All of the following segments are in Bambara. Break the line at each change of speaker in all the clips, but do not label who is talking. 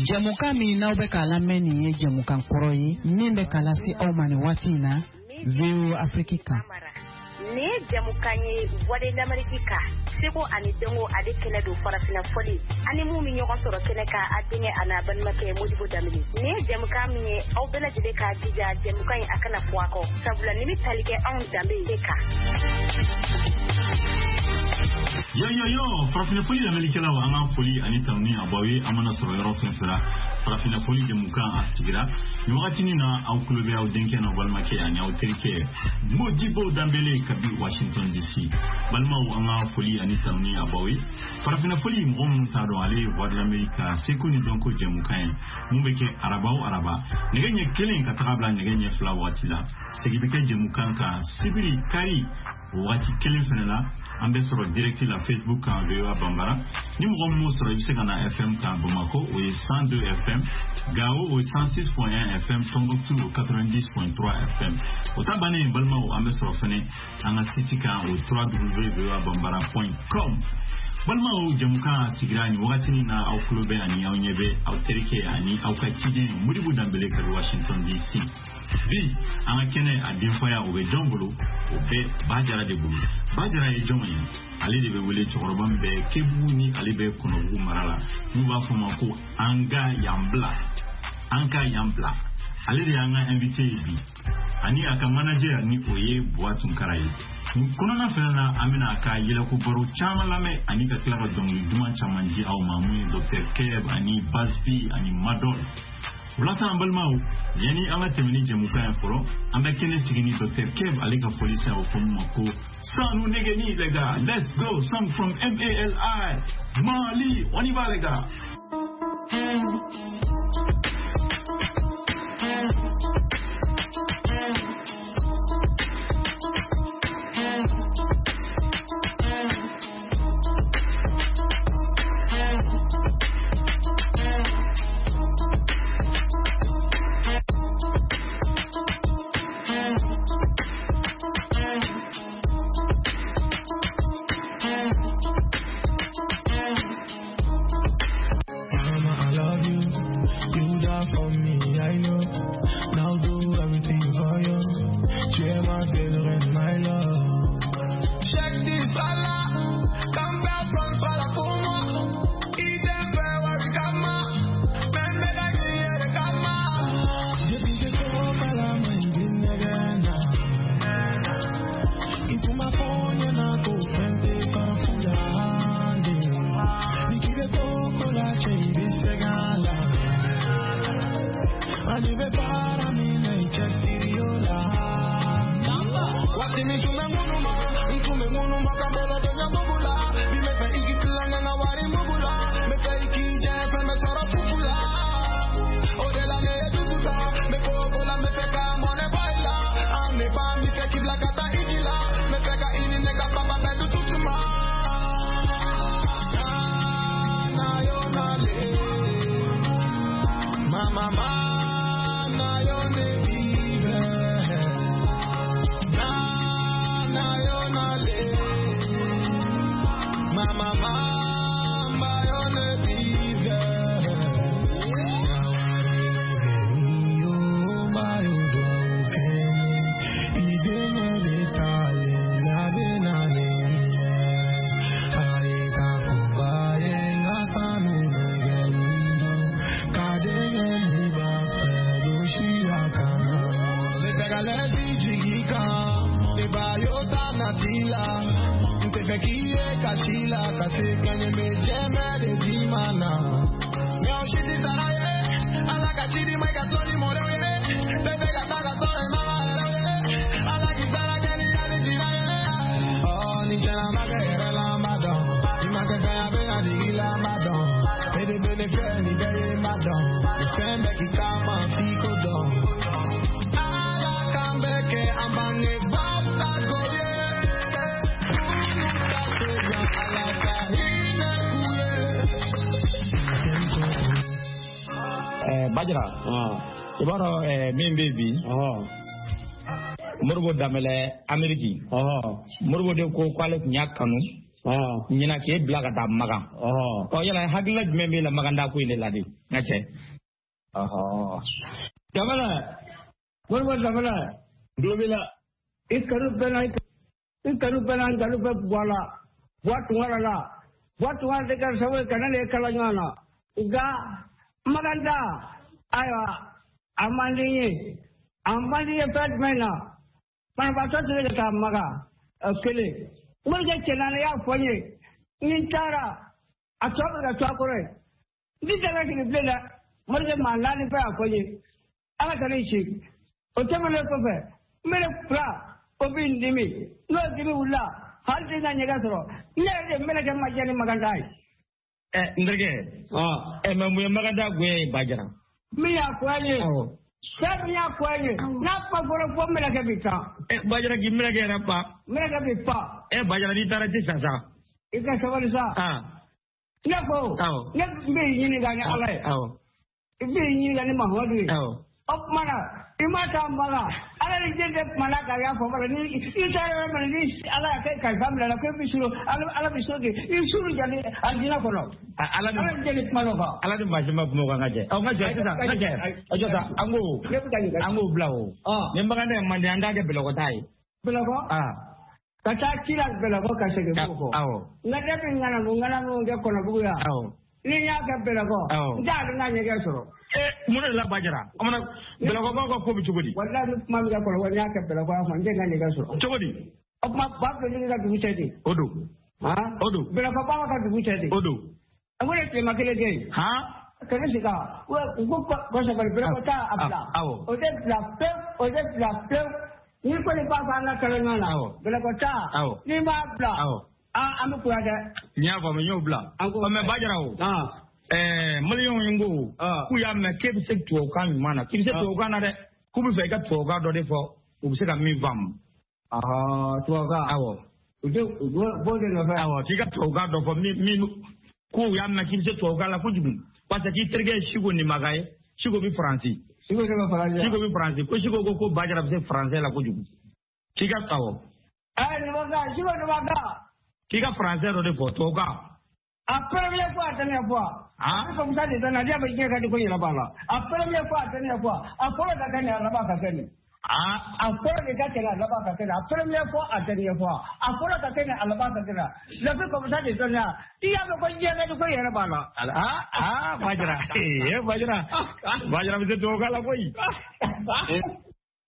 Jɛmukan min n'aw bɛ k'a lamɛn nin ye jɛmukan kɔrɔ ye min bɛ k'a lase aw ma nin waati in na VOA Afrique kan.
Nin ye jɛmukan ye Voix de l'Amérique kan seko ani dɔnko ale kɛnɛ don farafinna fɔli ani mun bɛ ɲɔgɔn sɔrɔ kɛnɛ kan a denkɛ a n'a balimakɛ Modibo Danbele nin ye jɛmukan min ye aw bɛɛ lajɛlen k'a jija jɛmukan in a kana fɔ a kɔ sabula nin bɛ tali kɛ anw danbe de kan.
Yo yo yo farafinna foli lamɛnnikɛlaw an ka foli ani tanuni a b'aw ye an mana sɔrɔ yɔrɔ fɛn fɛn la farafinna foli jɛmukan a sigira nin wagatinin na aw tulo bɛ aw denkɛ n'aw balimakɛ ani aw terikɛ Modibo Danbele kabi Washington DC balimaw an ka foli ani tanuni a b'aw ye farafinna foli mɔgɔ minnu t'a dɔn ale ye Voix de l'Amérique ka seko ni dɔnko jɛmukan ye mun bɛ kɛ araba o araba nɛgɛ ɲɛ kelen ka taga bila nɛgɛ ɲɛ fila waati la segin bɛ kɛ jɛmukan kan sibiri kari o waati kelen fana la an bɛ sɔrɔ direct la Facebook kan VOA Bambara ni mɔgɔ min m'o sɔrɔ i bɛ se ka na FM kan Bamakɔ o ye 102 FM Gao o ye 106.1 FM Tombouctou o 90.3 FM o ta bannen balimaw an bɛ sɔrɔ fana an ka site kan o www.voabambara.com balimaw jɛmukan sigira nin wagatinin na aw tulo bɛ ani aw ɲɛ bɛ aw terikɛ ani aw ka ciden Modibo Danbele kabi Washington DC bi an ka kɛnɛ a denfaya o bɛ jɔn bolo o bɛ Bajara de bolo Bajara ye jɔn ye ale de bɛ wele cɛkɔrɔba min bɛ Kebugu ni ale bɛ Kɔnɔbugu mara la n'u b'a fɔ ma ko an ka yan bila an ka yan bila ale de y'an ka invité ye bi ani a ka manager ni o ye Buwa Tunkara ye nin kɔnɔna fana na an bɛna a ka yɛlɛko baro caman lamɛn ani ka tila ka dɔnkili duman caman di aw ma mun ye Dr Keb ani Basbi ani Madol walasa an balimaw yanni an ka tɛmɛ ni jɛmukan ye fɔlɔ an bɛ kɛnɛ sigi ni Dr Keb ale ka fɔlisen a bɛ fɔ min ma ko Sanu Negeni les gars, let's go, song from MALI Mali, on y va les gars.
Mama, I love you. You die for me, I know. Now do everything for you. Share my favorite and my love.
Check this fella. Come back from fella for moi. Idem where kama. Men bega kiye kama.
Depuis que tu à la main, il Into my phone, you're not go friend,
Bajara i b'a dɔn min bɛ bi Modibo Danbele Ameriki Modibo de ko k'ale tun y'a kanu Ɲinan k'e bila ka taa Makan. Ɔ yala hakilila jumɛn b'e la Makan taa ko in de la de n ka cɛ.
Dabala Modibo Dabala.
Tulo b'i la.
I kanu bɛ na i kanu bɛ na n kanu bɛ Buwa la Buwa Tunkara la Buwa Tunkara de kɛra sababu ye ka ne de kala ɲɔgɔn na nka Makan taa ayiwa a man di n ye a man di n ye fɛn jumɛn na banabaatɔ tɛ se ka taa Makan kelen morikɛ cɛ naani y'a fɔ n ye ni n taara a tɔ bɛ ka to a kɔrɔ ye n ti tɛmɛ sigi bilen dɛ morikɛ maa naani bɛɛ y'a fɔ n ye ala ka ne si o tɛmɛnen kɔfɛ n bɛ fila o bɛ n dimi n'o dimi wulila hali tɛ na ɲɛgɛn sɔrɔ ne yɛrɛ de mɛlɛkɛ ma diya ni Makan taa ye.
Ɛ n terikɛ. Ɛ mɛ mun ye Makan taa goya ye Bajara.
Min y'a fɔ an ye. Fɛn min y'a fɔ an ye n'a kuma fɔra fo mɛlɛkɛ bɛ taa.
Ɛ Bajara k'i mɛlɛkɛ yɛrɛ pa.
Mɛlɛkɛ bɛ pa.
Ɛ Bajara n'i taara ti sa sa.
I ka sabali sa. Ne ko. Ne bɛ ɲininka ni Ala ye. I bɛ ɲininka ni Mahamadu ye. O tuma na i ma taa Makan Ala ni diɲɛ tɛ kuma na k'a y'a fɔ fɔlɔ ni i taara yɔrɔ min na ni Ala y'a kɛ kalifa minɛ la ko i bɛ suru Ala bɛ suru k'i i suru jali alijinɛ kɔnɔ.
Ala
ni diɲɛ ni kuma dɔ kan.
Ala ni maa si ma kuma o kan ka jɛ. Ɔ n ka jɛ sisan n ka jɛ a jɔ sa an k'o an k'o bila o. Ni Makan taa man di an t'a kɛ Bɛlɛkɔ taa ye.
Bɛlɛkɔ. Ka taa ci la Bɛlɛkɔ ka segin k'o kɔ. Nka ne bɛ ŋanamu kɛ Kɔnɔbugu yan. Ni n y'a kɛ Bɛlɛkɔ n t'a dɔn n ka ɲɛgɛn sɔrɔ.
Mun de la Bajara o mana Bɛlɛkɔkaw ka ko bɛ cogo di.
Walahi ni kuma bɛ kɛ Kɔnɔbugu n y'a kɛ Bɛlɛkɔ yan fɔ n tɛ n ka ɲɛgɛn sɔrɔ.
Cogo di.
O tuma ba filɛ ka dugu cɛ de.
O don. O don.
Bɛlɛkɔbaw ka dugu cɛ de.
O don.
A ko ne tilema kelen kɛ yen. Kɛnɛ sigi u ko kɔsɛbɛ Bɛlɛkɔ taa a bila. O tɛ bila pewu o tɛ bila pewu. N'i kɔni b'a fɔ an ka kɛlɛ ɲɔgɔn na. Bɛlɛkɔ taa. N'i m'a bila. An bɛ kuya dɛ.
N y'a faamu n y'o bila. Mɛ Bajara o. Maliyɛnw ye n ko k'u y'a mɛn k'e bɛ se tubabukan ɲuman na k'i bɛ se tubabukan na dɛ k'u bɛ fɛ i ka tubabukan dɔ de fɔ u bɛ se ka min faamu.
Tubabukan.
Awɔ.
U tɛ u b'o de nɔfɛ.
Awɔ k'i ka tubabukan dɔ fɔ min k'u y'a mɛn k'i bɛ se tubabukan la kojugu parce que k'i terikɛ ye Siko Nimaga ye Siko bɛ Faransi.
Siko de bɛ Faransi.
Siko bɛ Faransi ko Siko ko Bajara bɛ se faransɛ la kojugu k'i ka awɔ.
Nimaga Siko Nimaga.
K'i ka faransɛ dɔ de fɔ tubabukan.
A première fois, a dernière fois. Comme ça, les Canadiens bɛ diɲɛ ka di ko yɛrɛ b'a la. A première fois, a dernière fois. A fɔlɔ ka kɛ nin a laban ka kɛ nin. A fɔlɔ de ka kɛ nin a laban ka kɛ nin. A première fois, a dernière fois. A fɔlɔ ka kɛ nin a laban ka kɛ nin. Lafi comme ça, les Canadiens. I y'a mɛn ko diɲɛ ka di ko yɛrɛ b'a la.
Bajara. Bajara. Bajara bɛ se tubabukan la koyi.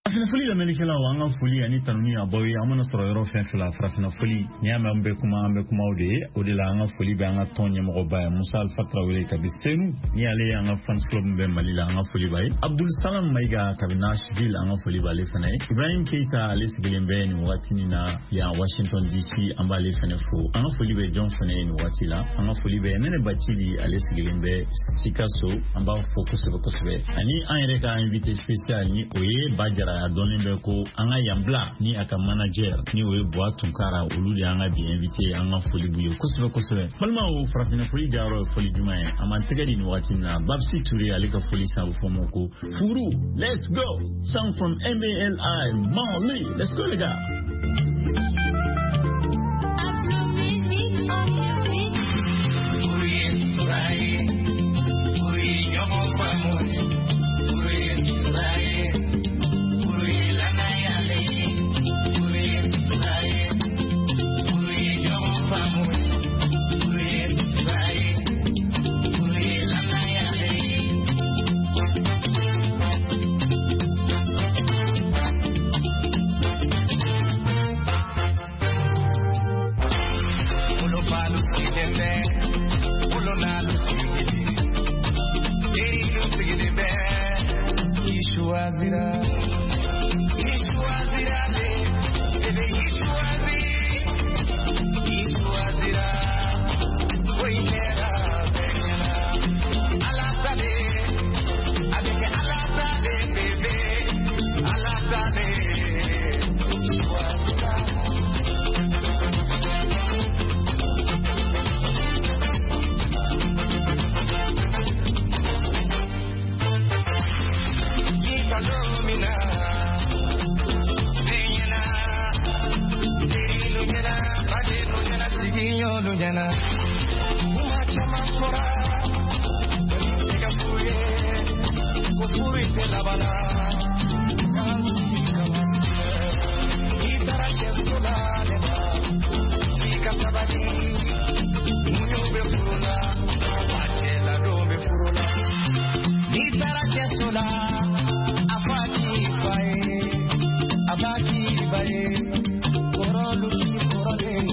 Farafinna foli lamɛnnikɛlaw an ka foli ani tanuni a b'aw ye an mana sɔrɔ yɔrɔ fɛn fɛn la farafinna foli n'i y'a mɛn an bɛ kuma an bɛ kumaw de ye o de la an ka foli bɛ an ka tɔn ɲɛmɔgɔba ye Musa Alpha Tarawele kabi Senu ni ale ye an ka fans club min bɛ Mali la an ka foli b'a ye Abdul Salam Mayiga kabi Nashville an ka foli b'ale fana ye Ibrahim Keita ale sigilen bɛ nin waati nin na yan Washington DC an b'ale fana fo an ka foli bɛ jɔn fana ye nin waati la an ka foli bɛ Nɛnɛ Bacili ale sigilen bɛ Sikaso an b'a fo kosɛbɛ kosɛbɛ ani an yɛrɛ ka invité spécial ni o ye Bajara a dɔnnen bɛ ko an ka yan bila ni a ka manager ni o ye Buwa Tunkara olu de y'an ka bi invité an ka foli b'u ye kosɛbɛ kosɛbɛ balimaw farafinna foli jayɔrɔ ye foli jumɛn ye an b'an tɛgɛ di nin wagati in na Babsi Ture ale ka foli san a bɛ fɔ o ma ko furu let's go song from MALI Mali let's go les gars.
Kuma caman fɔra, kɔni tɛ ka f'u ye, ko furu tɛ laban na. K'an sigi ka masigi. N'i taara cɛso la ne ma, f'i ka sabali. Muɲu bɛ furu la, wa cɛ ladon bɛ furu la. N'i taara cɛso la, a fɔ a k'i fa ye, a b'a k'i ba ye, kɔrɔlu ti kɔrɔlen.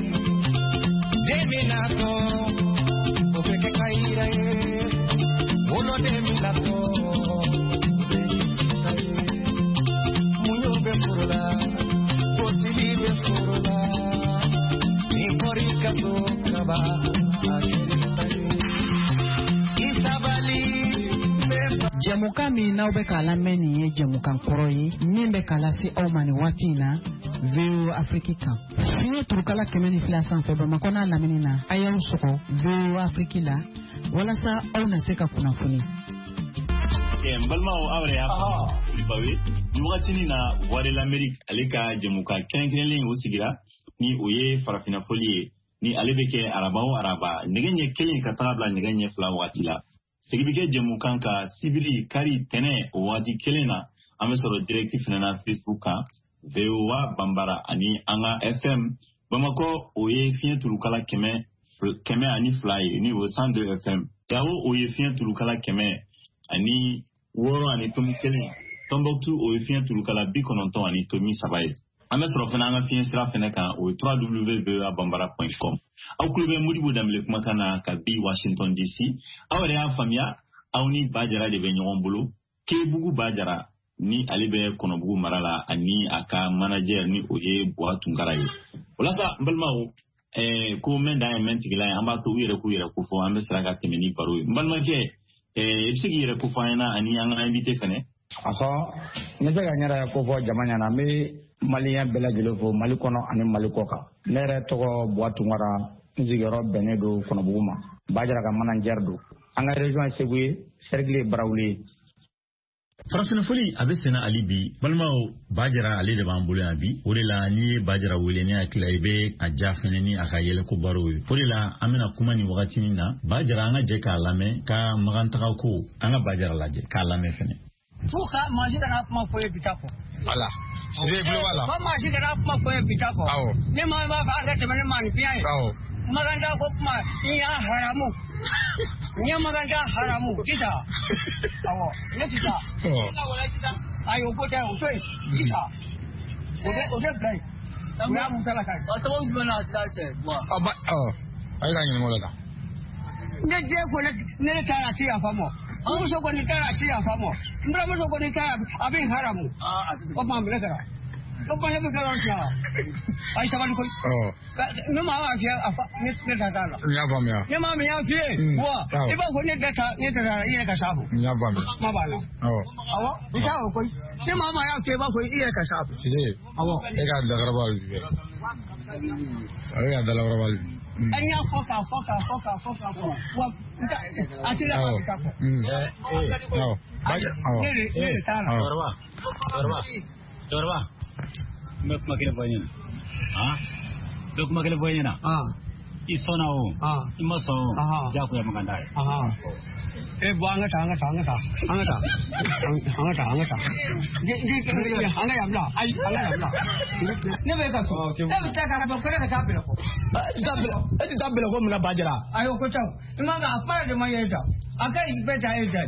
Den min natɔ, o bɛ kɛ kayira ye. Woloden min natɔ, o bɛ kɛ ta ye. Muɲu bɛ furu la, gosili bɛ furu la. N'i bɔr'i ka so kaban, a kɛr'i ta ye. I sabali, bɛ fa.
Jɛmukan min n'aw bɛ k'a lamɛn nin ye jɛmukan kɔrɔ ye min bɛ k'a lase aw ma nin waati in na VOA Afrique kan. Fiɲɛ turukala 102 sanfɛ Bamakɔ n'a lamini na, a y'aw sɔgɔ VOA Afrique la walasa aw na se ka kunnafoni.
N balimaw, aw yɛrɛ y'a faamu Bawe, nin wagatinin na Voix de l'Amérique ale ka jɛmukan kɛrɛnkɛrɛnlen o sigira, ni o ye farafinna fɔli ye, ni ale bɛ kɛ araba o araba nɛgɛ ɲɛ 1 ka taga bila nɛgɛ ɲɛ 2 wagati la. Segin bɛ kɛ jɛmukan kan sibiri, kari, tɛnɛ o wagati kelen na. An bɛ sɔrɔ direct fɛnɛ na Facebook kan VOA Bambara, ani an ka FM Bamakɔ o ye fiɲɛ turukala 102 ye, ni o ye 102 FM. Gawo o ye fiɲɛ turukala 106.1. Tombouctou o ye fiɲɛ turukala 90.3 ye. An bɛ sɔrɔ fana an ka fiɲɛ sira fɛnɛ kan, o ye www.voabambara.com. Aw tulo bɛ Modibo Danbele kumakan na ka bi Washington DC. Aw yɛrɛ y'a faamuya, aw ni Bajara de bɛ ɲɔgɔn bolo. Kebugu Bajara ni ale bɛ Kɔnɔbugu mara la, ani a ka manager ni o ye Buwa Tunkara ye. O la sa, n balimaw, ko mɛn dan ye mɛn tigila ye, an b'a to u yɛrɛ k'u yɛrɛ kofɔ, an bɛ sira ka tɛmɛ ni baro ye. N balimakɛ, i bɛ se k'i yɛrɛ kofɔ an ɲɛna ani an ka invité fɛnɛ?
Ɔhɔ, n bɛ se ka n yɛrɛ kofɔ jama ɲɛna. N bɛ maliyɛn bɛɛ lajɛlen fo Mali kɔnɔ ani Mali kɔ kan. Ne yɛrɛ tɔgɔ Buwa Tunkara, n sigiyɔrɔ bɛnnen don Kɔnɔbugu ma. Bajara ka manager don. An ka région ye Segu ye, cercle ye Barawuli ye.
Farafinna a bɛ senna hali bi, balimaw. Bajara ale de b'an bolo yan bi. O de la n'i ye Bajara wele, ne hakili la i bɛ a ja fɛnɛ ni a ka yɛlɛko baro ye. O de la an bɛna kuma nin wagatinin na. Bajara, an ka jɛ k'a lamɛn ka magantaga ko, an ka Bajara lajɛ k'a lamɛn fɛnɛ.
Fo ka maa si kana kuma fɔ ye bi ta fɔ.
Voilà. Sise tulo b'a la.
Fo maa si kana kuma fɔ ye bi ta fɔ.
Awɔ.
Ne maa b'a fɔ a ka tɛmɛ ne maa nin fiɲɛ ye.
Awɔ.
Maganda ko kuma n y'a haramu. N ye maganda haramu sisan. Awɔ, ne sisan. Ayi, o ko tɛ, o to yen sisan. O tɛ bila yen. O y'a musala ka ye.
Sababu jumɛn na a tɛ cɛ?
Ɔ ba ɔ a ye ka ɲininka o la tan.
Ne den ko ne taara a ti yafa ma. N muso kɔni taara a ti yafa ma. N buramuso kɔni taara a bɛ n haramu. O tuma minɛ kɛra. O tuma ne bɛ kɛra o tiɲɛ wa? Ayi, sabali koyi. Ne maa b'a fiyɛ a fa ne ta t'a la.
N y'a faamuya.
Ne maa min y'a fiyɛ wa i b'a fɔ ne tɛ taa ne tɛ taa i yɛrɛ ka s'a fɔ.
N y'a faamuya.
Kuma b'a la. Awɔ, i t'a o koyi. Ne maa maa y'a fiyɛ i b'a fɔ i yɛrɛ ka s'a fɔ.
Sise.
Awɔ.
E ka dakaraba bi dɛ. Ale ka dakaraba bi.
An y'a fɔ k'a fɔ k'a fɔ k'a fɔ k'a fɔ wa a tɛ laban ka taa fɔ.
Awɔ.
Ne de t'a la.
Cɛkɔrɔba, cɛkɔrɔba, cɛkɔrɔba, n bɛ kuma kelen fɔ i ɲɛna. Han, n bɛ kuma kelen fɔ i ɲɛna. I sɔnna o, i ma sɔn o, diyagoya man kan d'a ye.
E bɔ an ka taa, an ka taa, an ka taa, an ka taa, an ka taa, an ka taa. An ka yan bila, ayi, an ka yan bila. Ne bɛ ka so, e bɛ taa ka bɔ ko ne ka taa Bɛlɛkɔ.
E tɛ taa Bɛlɛkɔ mun na Bajara?
Ayi, o ko tɛ o. I ma a kuma de ma ye da. A ka ɲi bɛɛ ta e da.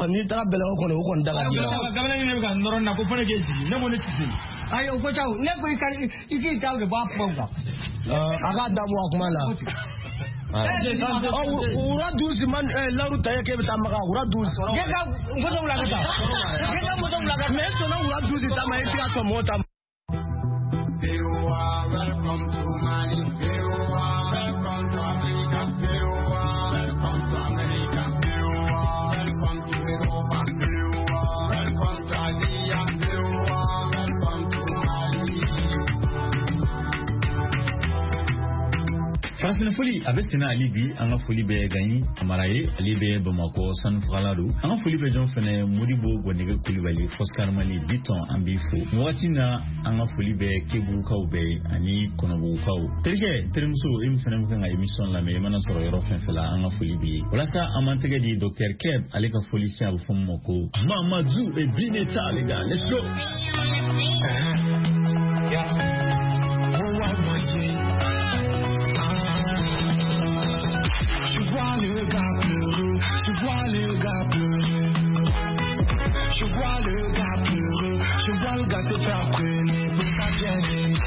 N'i taara Bɛlɛkɔ kɔni, o kɔni da ka di la.
Kamalen ne bɛ ka nɔrɔ na ko fo ne k'e jigin, ne ko ne tɛ se.
Ayi, o ko tɛ o. Ne ko i k'i ta de bɔ a kumaw kan.
A k'a dabɔ a kuma la. Wura duusi man laru ta ye k'e bɛ taa Makan wura duusi.
Ne ka moto wula ka taa. Ne ka moto wula ka taa.
Mais e sɔnna wura duusi ta ma, e tɛ ka sɔn mɔgɔ ta ma.
Welcome to Mali. Welcome to Africa. Welcome to America. Welcome to Europa. Welcome to Asia. Welcome to Mali.
Farafina foli a bɛ senna hali bi. An ka foli bɛ Gaɲi Kamara ye, ale bɛ Bamakɔ sanufagala don. An ka foli bɛ jɔn fɛnɛ? Modibo Gɔnɛgɛ Kulibali, Foscar Mali Biton, an b'i fo nin wagati na. An ka foli bɛ Kebugukaw bɛɛ ani Kɔnɔbugukaw. Terikɛ, terimuso, e min fɛnɛ bɛ kan ka émission lamɛn, i mana sɔrɔ yɔrɔ fɛn fɛn la, an ka foli b'i ye. Walasa an b'an tɛgɛ di Docteur Keb, ale ka foli siɲɛ, a bɛ fɔ min ma ko Mamadou et Bineta. Les gars, let's go.
Yeah. Je vois le gars pleurer, je vois le gars pleurer. Je vois le gars pleurer, je vois le gars se faire traîner pour sa bien-aimée.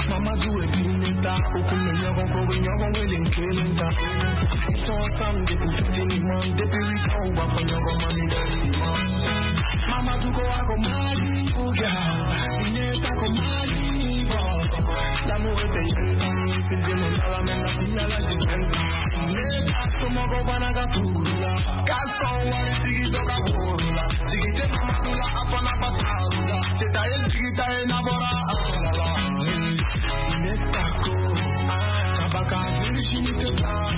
Mamadou et Bineta, au coup de Nyogon, ils sont ensemble depuis finiment, depuis 8 ans, on va prendre Nyogon, mami, Mamadou, go, go, Mali, Bineta, go, Mali, l'amour était c'est de mon à la même la fille à la somɔgɔw bana ka furu la k'a sɔn wari tigi dɔ ka woro la jigi tɛ Mamadu la, a fana ba taru la seta ye jigi ta ye n'a bɔra a fana la ne ta ko kaba ka jiri sini tɛ ban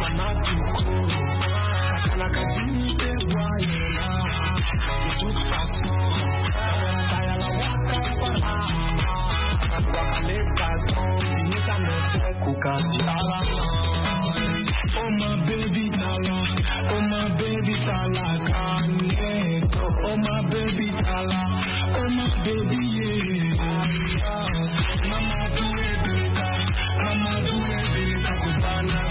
Mamadu ko ka kana ka dimi tɛ bɔ a yɛrɛ la de toute façon ka yala waka fana wakale ka sɔn Bineta nɔfɛ ko ka di Ala ma. Oh my baby tala, oh my baby tala, kaneto. Oh my baby tala, oh my baby yeah. Mama do it, mama do it, takubana.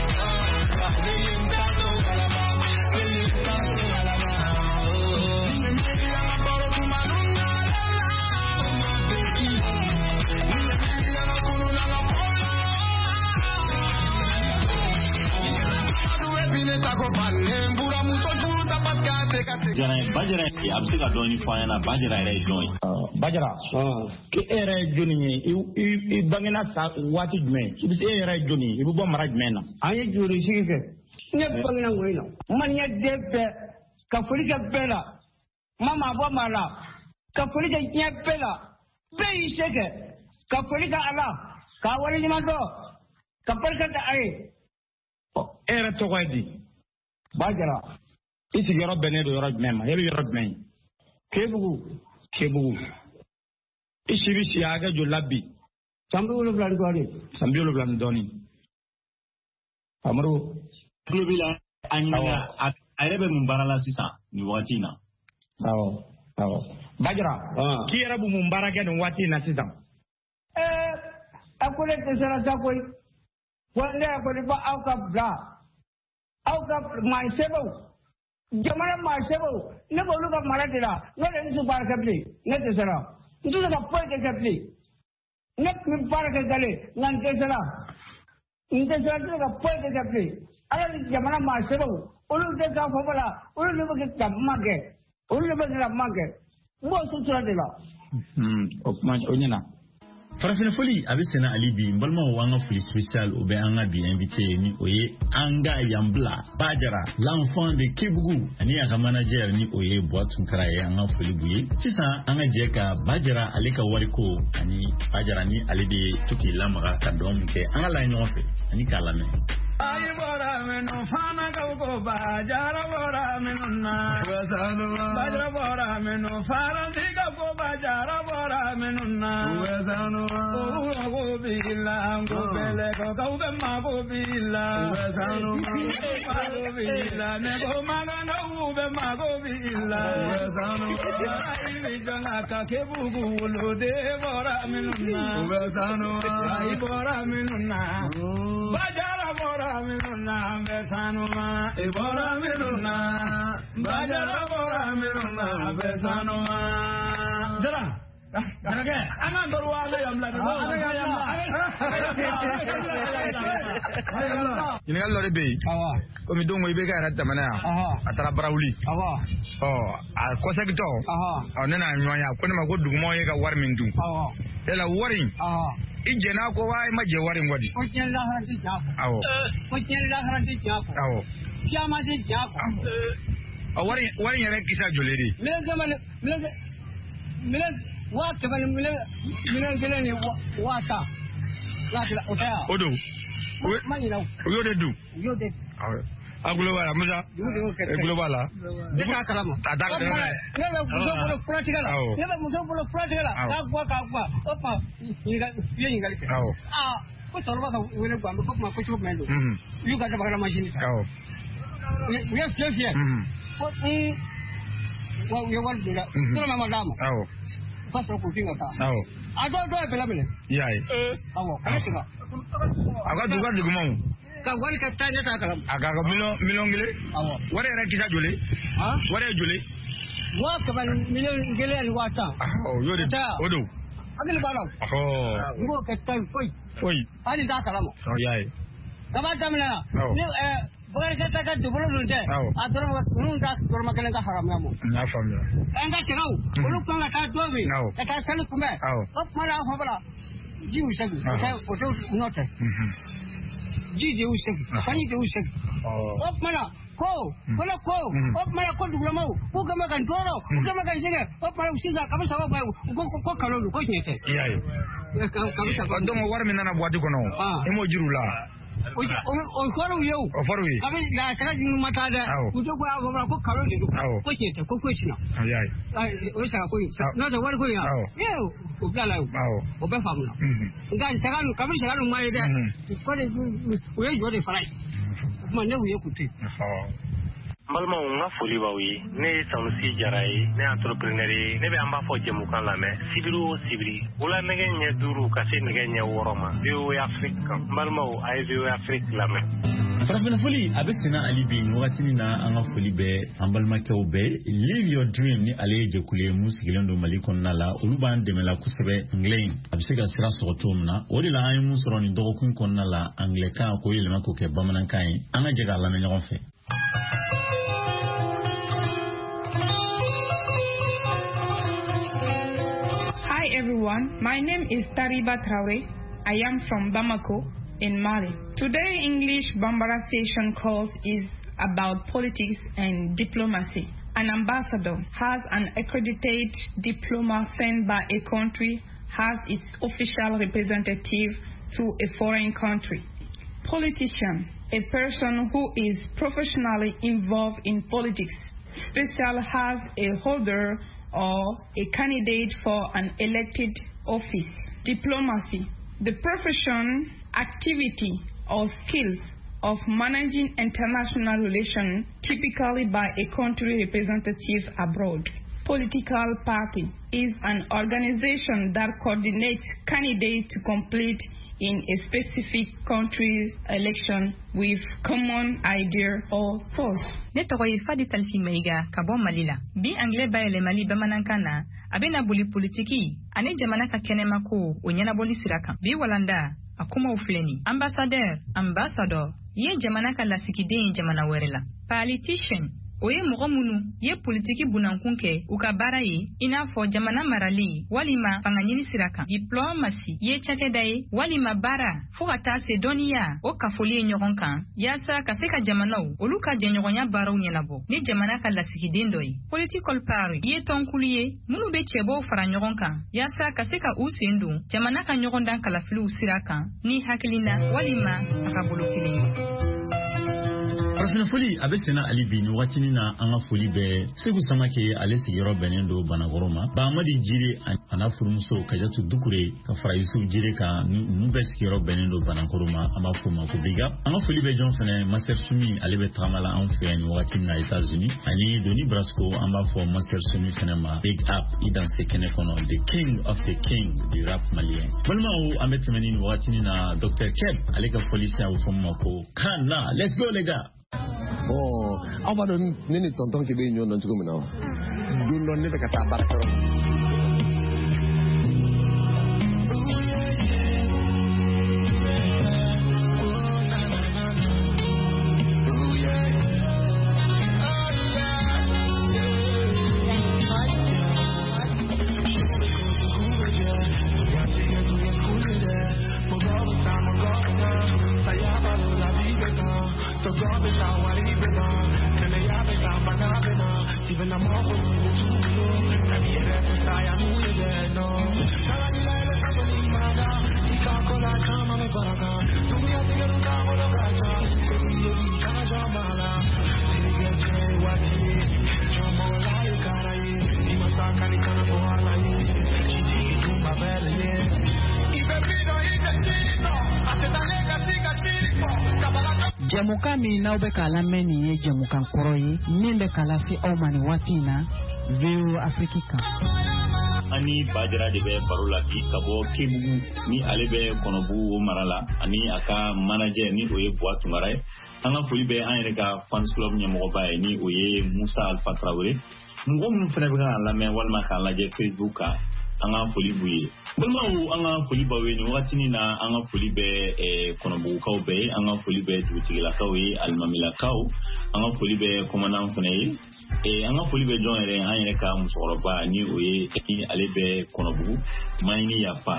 Jara Bajara, a bɛ se ka dɔɔni fɔ an ɲɛna? Bajara yɛrɛ ye jɔn ye?
Bajara, k'e yɛrɛ ye jɔnni ye? I bangena sa waati jumɛn? I bɛ se, e yɛrɛ ye jɔnni ye? I bɛ bɔ mara jumɛn na?
An ye jori sigi kɛ. Ne bangena ŋoyi na. Maliyɛn den bɛɛ ka foli kɛ bɛɛ la. Ma maa bɔ maa la. Ka foli kɛ diɲɛ bɛɛ la. Bɛɛ y'i se kɛ. Ka foli kɛ Ala. K'a waleɲuman dɔn. Ka barika da a ye.
E yɛrɛ tɔgɔ ye di? Bajara. I sigiyɔrɔ bɛnnen don yɔrɔ jumɛn ma? E bɛ yɔrɔ jumɛn?
Kebugu.
Kebugu. I si bɛ si hakɛ joli la bi?
San 70 ni dɔɔnin.
San 70 ni dɔɔnin. Amadu.
Tulo b'i la, a ɲininka a yɛrɛ bɛ mun baara la sisan nin waati in na?
Awɔ, awɔ. Bajara, k'i yɛrɛ bɛ mun baara kɛ nin waati in na sisan?
A ko ne dɛsɛra sa koyi. Wa ne yɛrɛ kɔni b'aw ka bila. Aw ka maa sɛbɛnw. Jamana maa sɛbɛnw, ne b'olu ka mara de la. N'o tɛ n tɛ baara kɛ bilen. Ne dɛsɛra. N tɛ se ka foyi de kɛ bilen. Ne tun bɛ baara kɛ gale, nka n dɛsɛra. N dɛsɛra, n tɛ se ka foyi de kɛ bilen. Ala ni jamana maa sɛbɛnw, olu tɛ k'a fɔ la, olu de bɛ ka kuma kɛ. Olu de bɛ ka kuma kɛ. N b'o sutura de la.
O kuma o ɲɛna.
Farafina foli a bɛ senna hali bi. N balimaw, an ka foli spécial o bɛ an ka bi invité, ni o ye an ka yanbila Bajara, l'enfant de Kebugu, ani a ka manager, ni o ye Buwa Tunkara ye. An ka foli b'u ye. Sisan an ka jɛ ka Bajara ale ka wariko ani Bajara ni ale bɛ to k'i lamaga ka dɔn min kɛ, an ka lajɛ ɲɔgɔn fɛ ani k'a lamɛn.
Ayi bɔra minnu fana kaw ko Bajara bɔra minnu na. Bajara bɔra minnu faransi ka ko Bajara bɔra minnu na. Ko b'i la, ko bɛlɛ ko k'aw bɛ mako b'i la. Mako b'i la, ne ko magankaw bɛ mako b'i la. I bɛ jɔn ka Kebugu woloden bɔra minnu na. Ayi bɔra minnu na. Bajara bɔra minnu na, n bɛ sanu ma. I bɔra minnu na. Bajara bɔra minnu na, n bɛ sanu ma. Jara. An k'an baro wa an ka yan bila.
Ɲininkali dɔ de bɛ yen. Komi don ko i bɛ ka yɛrɛ tɛmɛna yan. A taara Barawuli. Ɔ a kɔsegintɔ. Ɔ ne n'a ɲɔgɔn ye, a ko ne ma ko dugumɔgɔw ye ka wari min dun. Yala wari in, i jɛn'a kɔ wa i ma jɛ wari in kɔ di?
Ko diɲɛ lahara tɛ tiɲɛ fɔ.
Awɔ.
Ko diɲɛ lahara tɛ tiɲɛ fɔ.
Awɔ.
Caman tɛ tiɲɛ fɔ.
Ɔ wari in yɛrɛ kisa joli de?
Miliyɔn kɛmɛ ni miliyɔn 100,000 ni 10,000. O tɛ yan.
O don.
Ma ɲinɛ o.
U y'o de dun.
U y'o de dun.
Awɔ. A gulo b'a la Musa. E gulo b'a la.
Ne t'a kalama.
A t'a kalama.
Ne bɛ muso bolo furatigɛ la. Ne bɛ muso bolo furatigɛ la. K'a guwa k'a guwa. O tuma i ye ɲininkali kɛ.
Awɔ.
Aa ko cɛkɔrɔba ka wele guwa ko kuma ko cogo jumɛn don. U y'u ka dabakala masini ta.
Awɔ.
U ye fiyɛ fiyɛ. Ko wa u ye wari don dɛ. Dɔrɔmɛ ma d'a ma.
Awɔ.
U ka sɔrɔ k'u fin ka taa.
Awɔ.
A dɔw ye bɛlɛ minɛ.
I y'a ye.
Awɔ kana segin.
A ka dugu ka dugumaw.
Ka wari ka taa ne t'a kalama.
A ka miliyɔn kelen.
Awɔ.
Wari yɛrɛ kisa joli. Wari ye joli.
100 000 miliyɔn 100 000.
Awɔ o y'o de o don.
Hakili b'a la o.
Ɔhɔ.
N b'o kɛ tan foyi.
Foyi.
Hali t'a kalama.
Ɔ y'a ye.
Kaba daminɛ na.
Awɔ.
Ni Bakari Keyita ka dugukolo dun tɛ.
Awɔ.
A dɔrɔmɛ ninnu ta dɔrɔmɛ kelen ka haramuya ma.
N y'a faamuya.
An ka sɛgɛw olu kan ka taa don min.
Awɔ.
Ka taa sanu kunbɛn.
Awɔ.
O tuma na a fɔ la ji y'u sɛgɛn. O tɛ u nɔ tɛ. Ji de y'u sɛgɛn. Sanji de y'u sɛgɛn. O tuma na ko ko ne ko o tuma na ko dugulamaw k'u kɛ bɛ ka n tɔɔrɔ u kɛ bɛ ka n sɛgɛn o tuma na sisan kabi saba ba ye ko ko kalo don ko tiɲɛ tɛ.
I y'a ye.
Kabi saba.
Donc wari min nana boîte kɔnɔ i m'o jira u la.
O fɔr'u ye o.
O fɔr'u ye.
Kabi la saga ma taa dɛ. U to ko a fɔ ko kalo de don. Ko tiɲɛ tɛ ko foyi ti na.
I y'a ye.
O ye saga ko ye. N'o tɛ wari ko in wa. O bilala o. O bɛɛ faamuna. Nka saga ninnu kabi saga ninnu ma ye dɛ. Ko de u ye jɔ de fara ye. O tuma ne y'u ye k'u to yen.
N balimaw n ka foli b'aw ye. Ne ye Sanusi Jara ye, ne ye entrepreneur ye. Ne bɛ an b'a fɔ jɛmukan lamɛn sibiri o sibiri wula nɛgɛ ɲɛ 5 ka se nɛgɛ ɲɛ 6 ma VOA Afrique kan. N balimaw a ye VOA Afrique lamɛn.
Farafinna foli a bɛ senna hali bi nin wagatinin na. An ka foli bɛ an balimakɛw bɛɛ. Live Your Dream ni ale ye jɛkulu ye mun sigilen don Mali kɔnɔna la. Olu b'an dɛmɛ la kosɛbɛ anglais in a bɛ se ka sira sɔrɔ cogo min na. O de la an ye mun sɔrɔ nin dɔgɔkun kɔnɔna la, anglais kan k'o yɛlɛma k'o kɛ bamanankan ye. An ka jɛ k'a lamɛn ɲɔgɔn fɛ.
Hi everyone, my name is Tariba Traore. I am from Bamako in Mali. Today English Bambara session course is about politics and diplomacy. An ambassador has an accredited diploma sent by a country as its official representative to a foreign country. Politician, a person who is professionally involved in politics, special as a holder or a candidate for an elected office. Diplomacy, the profession, activity, or skills of managing international relations, typically by a country representative abroad. Political party is an organization that coordinates candidates to compete in a specific country's election with common idea or thoughts.
Ne tɔgɔ ye Fadi Talifi Mayiga ka bɔ Mali la. Bi anglais bayɛlɛmali bamanankan na, a bɛna boli politiki ani jamana ka kɛnɛmako o ɲɛnabɔli sira kan. Bi walanda a kumaw filɛ nin: ambassadeur, ambassador ye jamana ka lasigiden ye jamana wɛrɛ la. Politician, o ye mɔgɔ minnu ye politiki bunankun kɛ u ka baara ye, i n'a fɔ jamana marali walima fangaɲini sira kan. Diplomatie ye cakɛda ye walima baara fɔɔ ka taa se dɔnniya o kafoli ye ɲɔgɔn kan yaasa ka se ka jamanaw olu ka jɛɲɔgɔnya baaraw ɲɛnabɔ ni jamana ka lasigiden dɔ ye. Political party ye tɔnkulu ye minnu bɛ cɛbɔw fara ɲɔgɔn kan yaasa ka se ka u sen don jamana ka ɲɔgɔndan kalafiliw sira kan ni hakilina walima tagabolo kelen ye.
Farafinna foli a bɛ senna hali bi nin wagatinin na. An ka foli bɛ Segu Samake, ale sigiyɔrɔ bɛnnen don Banakɔrɔ ma. Bahamadi Jire a n'a furumuso Kajatu Dukure ka fara Yusuf Jire kan, ninnu bɛɛ sigiyɔrɔ bɛnnen don Banakɔrɔ ma. An b'a fɔ o ma ko big up. An ka foli bɛ jɔn fɛnɛ? Master Sumi, ale bɛ tagama la anw fɛ yan nin wagati min na États-Unis. Ani Doni Brasco, an b'a fɔ Master Sumi fɛnɛ ma big up, i danse kɛnɛ kɔnɔ, the king of the king du rap malien. Balimaw, an bɛ tɛmɛ ni nin wagatinin na Dr Keb ale ka foli sen, a bɛ fɔ min ma ko Kana. Let's go les gars.
Bon, aw b'a dɔn ne ni tonton Kebe ɲɔgɔn dɔn cogo min na wa? Don dɔ ne bɛ ka taa baarakɛyɔrɔ la.
Jɛmukan min n'aw bɛ k'a lamɛn nin ye jɛmukan kɔrɔ ye min bɛ k'a lase aw ma nin waati in na VOA Afrique kan.
An ni Bajara de bɛ baro la bi ka bɔ Kebugu ni ale bɛ Kɔnɔbugu o mara la ani a ka manager ni o ye Buwa Tunkara ye. An ka foli bɛ an yɛrɛ ka fans club ɲɛmɔgɔba ye ni o ye Musa Alpha Traoré. Mɔgɔ minnu fana bɛ k'an lamɛn walima k'an lajɛ Facebook kan, an ka foli b'u ye. Balimaw, an ka foli b'aw ye nin wagatinin na. An ka foli bɛ Kɔnɔbugukaw bɛɛ ye, an ka foli bɛ dugutigilakaw ye, alimamilakaw, an ka foli bɛ commandant fana ye. An ka foli bɛ jɔn yɛrɛ, an yɛrɛ ka musokɔrɔba ni o ye ale bɛ Kɔnɔbugu Mayini Yafa,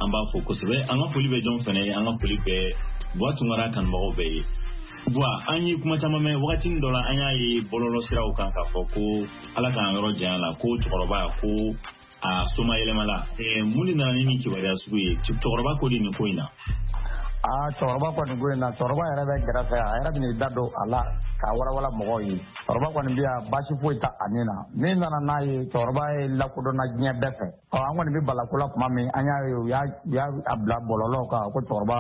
an b'a fo kosɛbɛ. An ka foli bɛ jɔn fana ye, an ka foli bɛ Buwa Tunkara kanubagaw bɛɛ ye. Buwa, an ye kuma caman mɛn wagatinin dɔ la, an y'a ye bɔlɔlɔ siraw kan k'a fɔ ko Ala k'an yɔrɔ janya la, ko cɛkɔrɔba ko a soma yɛlɛmala. Mun de nana ni nin kibaruya sugu ye? Cɛkɔrɔba ko de nin ko in na.
Aa, cɛkɔrɔba kɔni ko in na, cɛkɔrɔba yɛrɛ bɛ gɛrɛfɛ, a yɛrɛ bɛn'i da don a la k'a walawala mɔgɔw ye. Cɛkɔrɔba kɔni bɛ yan, baasi foyi t'a a ni na. Min nana n'a ye, cɛkɔrɔba ye lakodɔnna diɲɛ bɛɛ fɛ. Ɔ, an kɔni bɛ balako la tuma min, an y'a ye u y'a bila bɔlɔlɔw kan ko cɛkɔrɔba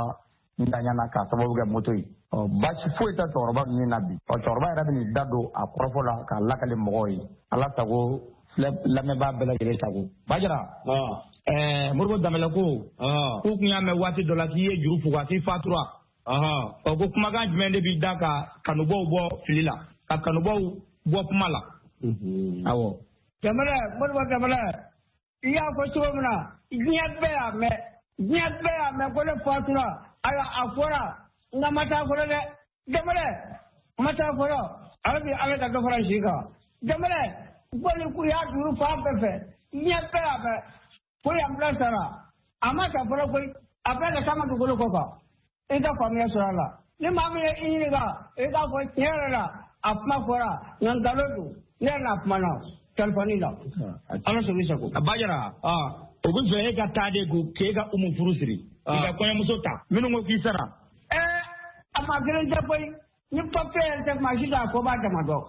ntanyana k'a sababu kɛ moto ye. Ɔ, baasi foyi tɛ cɛkɔrɔba min na bi. Ɔ, cɛkɔrɔba yɛrɛ bɛn'i da don a kɔrɔfɔ la k'a lakale mɔgɔw ye. Ala sago, lamɛnbaa bɛɛ lajɛlen sago. Bajara, Moribo Danbɛlɛ ko k'u kun y'a mɛn waati dɔ la k'i ye juru fuga k'i fatura. Ɔ, ko kumakan jumɛn de b'i da ka kanubaw bɔ fili la, ka kanubaw bɔ kuma la? Awɔ.
Danbɛlɛ, Moribo Danbɛlɛ, i y'a fɔ cogo min na, diɲɛ bɛɛ y'a mɛn, diɲɛ bɛɛ y'a mɛn ko ne fatura. Ayiwa, a fɔra nka ma taa fɔlɔ dɛ. Danbɛlɛ, ma taa fɔlɔ. Ala bi Ala ka dɔ fara si kan. Danbɛlɛ, bɔli k'u y'a juru fan bɛɛ fɛ, diɲɛ bɛɛ y'a mɛn ko yan bila sara. A ma ta fɔlɔ koyi, a bɛɛ ka taa dugukolo kɔ kan. I ka faamuya sɔrɔ a la. Ni maa min ye i ɲininka, i k'a fɔ tiɲɛ yɛrɛ la, a kuma fɔra nka nkalon don. Ne yɛrɛ n'a kuma na telefɔni la. Ala sago i sago.
A Bajara, o bɛ fɛ e ka taa de ko k'e ka Umu furu siri, i ka kɔɲɔmuso ta. Minnu ko k'i sara.
A maa kelen tɛ koyi, ni papiye yɛrɛ tɛ maa si t'a ko b'a dama dɔn.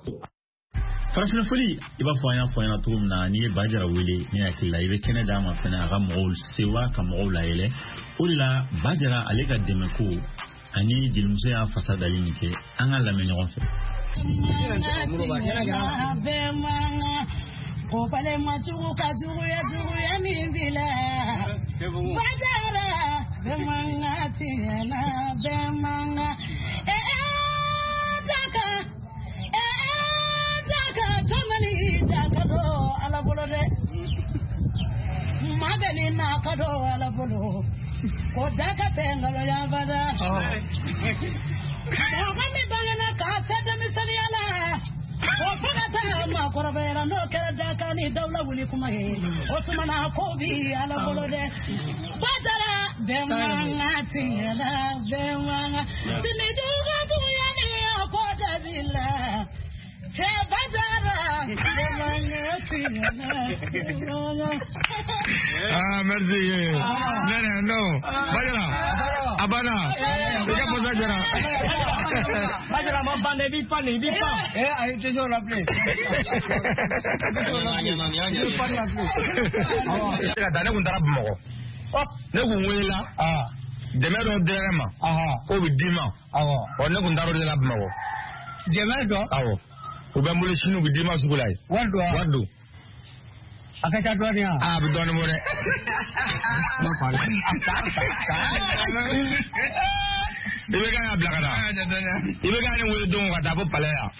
Farafinna foli, i b'a fɔ an y'a fɔ ɲɛna cogo min na, n'i ye Bajara wele, ne hakili la i bɛ kɛnɛ d'a ma fɛnɛ a ka mɔgɔw sewa, ka mɔgɔw layɛlɛ. O de la Bajara ale ka dɛmɛ ko ani jelimuso y'a fasa dali min kɛ, an ka lamɛn ɲɔgɔn fɛ.
Ko balima jugu ka juguya juguya min b'i la. Bajara, bɛɛ man ka tiɲɛ na, bɛɛ man ka. Daka, daka, tɔmɔni daka don Ala bolo dɛ. Magani n'a ka don Ala bolo. Ko daka tɛ nkalon bada. Mɔgɔ min bangena k'a se denmisɛnninya la. O fo ka taa maakɔrɔbaya n'o kɛra dakan ni dawula wuli kuma ye. O tuma na ko bi Ala bolo dɛ. Bajara, bɛɛ man ka tiɲɛ la, bɛɛ man ka. Sini jugu juguya ni o ko da b'i la. Bajara, bɛɛ man ka tiɲɛ la, bɛɛ man ka.
Ah, merci. Non, non. Bajara, a banna. I ka fasa jara.
Bajara ma ban dɛ, i b'i pan de, i b'i pan. A ye tɛ se o la bilen. I b'i pan la bilen.
Ka taa, ne kun taara Bamakɔ. Ne kun welela. Dɛmɛ dɔ dira ne ma. K'o bɛ d'i ma. Ɔ, ne kun taara o de la Bamakɔ.
Dɛmɛ dɔ?
Awɔ. U bɛ n bolo sini, u bɛ d'i ma sugu la yen.
Wari don wa?
Wari don.
A ka ca dɔɔnin wa?
A bɛ dɔɔnin bɔ dɛ. I bɛ kan ka bila ka taa. I bɛ kan ne wele don ka taa fo palais yan.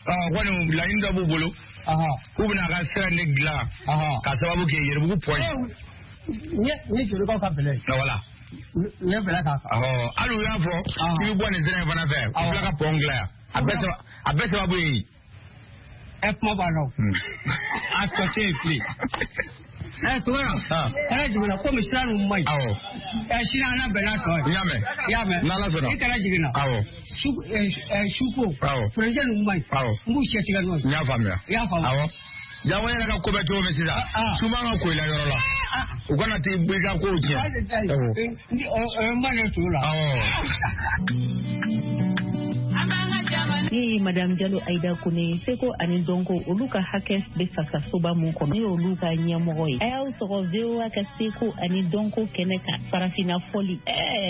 Ɔ, kɔni laɲini dɔ b'u bolo. K'u bɛna a ka sira in de dilan. K'a sababu kɛ Yɛrɛbugu pɔn ye.
Ni jolikaw ka bɛlɛ ye.
Voilà.
Ne bɛlɛ k'a kan.
Hali u y'a fɔ k'i bɛ bɔ nin sira in fana fɛ. U tila ka pɔn dilan yan. A bɛɛ sababu ye yen.
Kuma b'a la o. A tɔ tɛ yen bilen. Tugara, kana jiginna komi sira ninnu man ɲi.
Awɔ.
Sini an na bɛn n'a tɔ ye.
N y'a mɛn.
I y'a mɛn.
N'Ala sɔnna.
I kana jiginna.
Awɔ.
Suko.
Awɔ.
Furancɛ ninnu man ɲi.
Awɔ.
N b'u cɛ tigɛ n'o ye.
N y'a faamuya.
I y'a faamu.
Awɔ. Jago yɛrɛ ka ko bɛ cogo min sisan, su man ka ko i la yɔrɔ la. U kana t'i i ka kow tiɲɛ. Awɔ.
N b'a ne tu la.
Awɔ.
Ni
ye Madame Jalo Aida Kone ye, seko ani dɔnko olu ka hakɛ bɛ fasasoba mun kɔnɔ, ne y'olu ka ɲɛmɔgɔ ye. A y'aw sɔgɔ VOA ka seko ani dɔnko kɛnɛ kan, farafinna fɔli,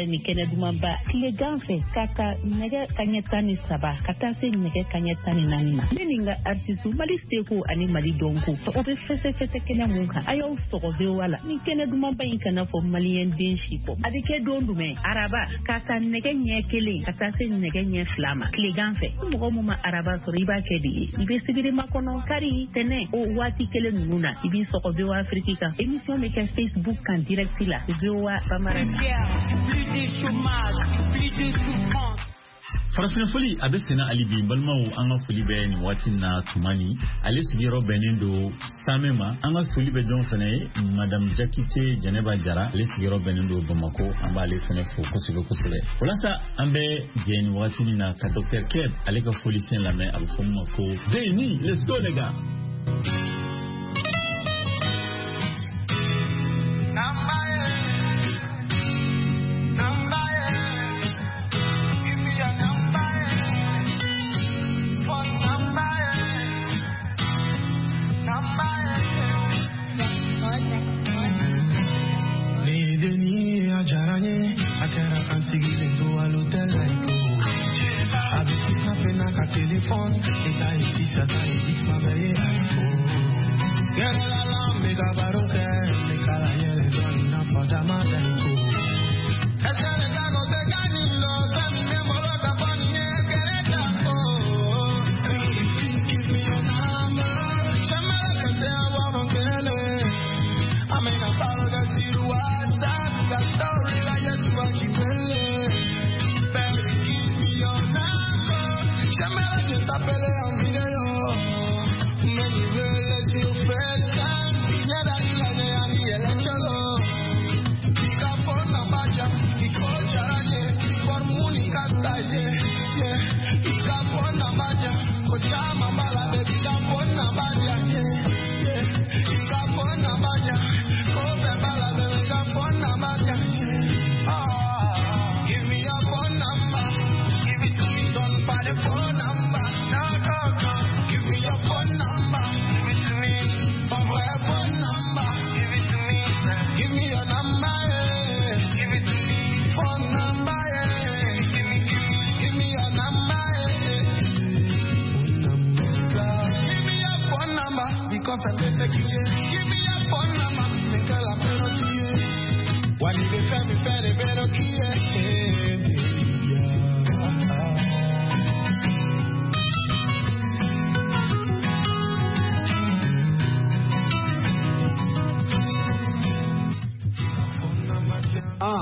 nin kɛnɛ dumanba. Tilegan fɛ ka ta nɛgɛ kaɲɛ 13 ka taa se nɛgɛ kaɲɛ 14 ma. Ne ni n ka artiste Mali seko ani Mali dɔnko, o bɛ fɛsɛfɛsɛ kɛnɛ mun kan, a y'aw sɔgɔ VOA la. Nin kɛnɛ dumanba in kana fɔ maliyɛn den si kɔ. A bɛ kɛ don jumɛn? Araba, ka ta nɛgɛ ɲɛ 1 ka taa se nɛgɛ ɲɛ 2 ma tilegan fɛ. Mɔgɔ mun ma araba sɔrɔ, i b'a kɛ de ye. I bɛ sibiri makɔnɔ, kari, tɛnɛ, o waati kelen ninnu na, i b'i sɔgɔ VOA Afrique kan. Émission bɛ kɛ Facebook kan direct la, VOA Bambara.
Plus de chômage, plus de souffrance.
Farafinna fɔli a bɛ senna hali bi. Balimaw, an ka foli bɛ nin waati na Tumani, ale sigiyɔrɔ bɛnnen don Samɛ ma. An ka foli bɛ jɔn fɛnɛ ye? Madame Jakite Jɛnɛba Jara, ale sigiyɔrɔ bɛnnen don Bamako. An b'ale fɛnɛ fo kosɛbɛ kosɛbɛ. Walasa an bɛ jɛ nin waati na ka Dr Keb ale ka folisiyɛn lamɛn, a bɛ fɔ min ma ko Beni. Let's go les gars.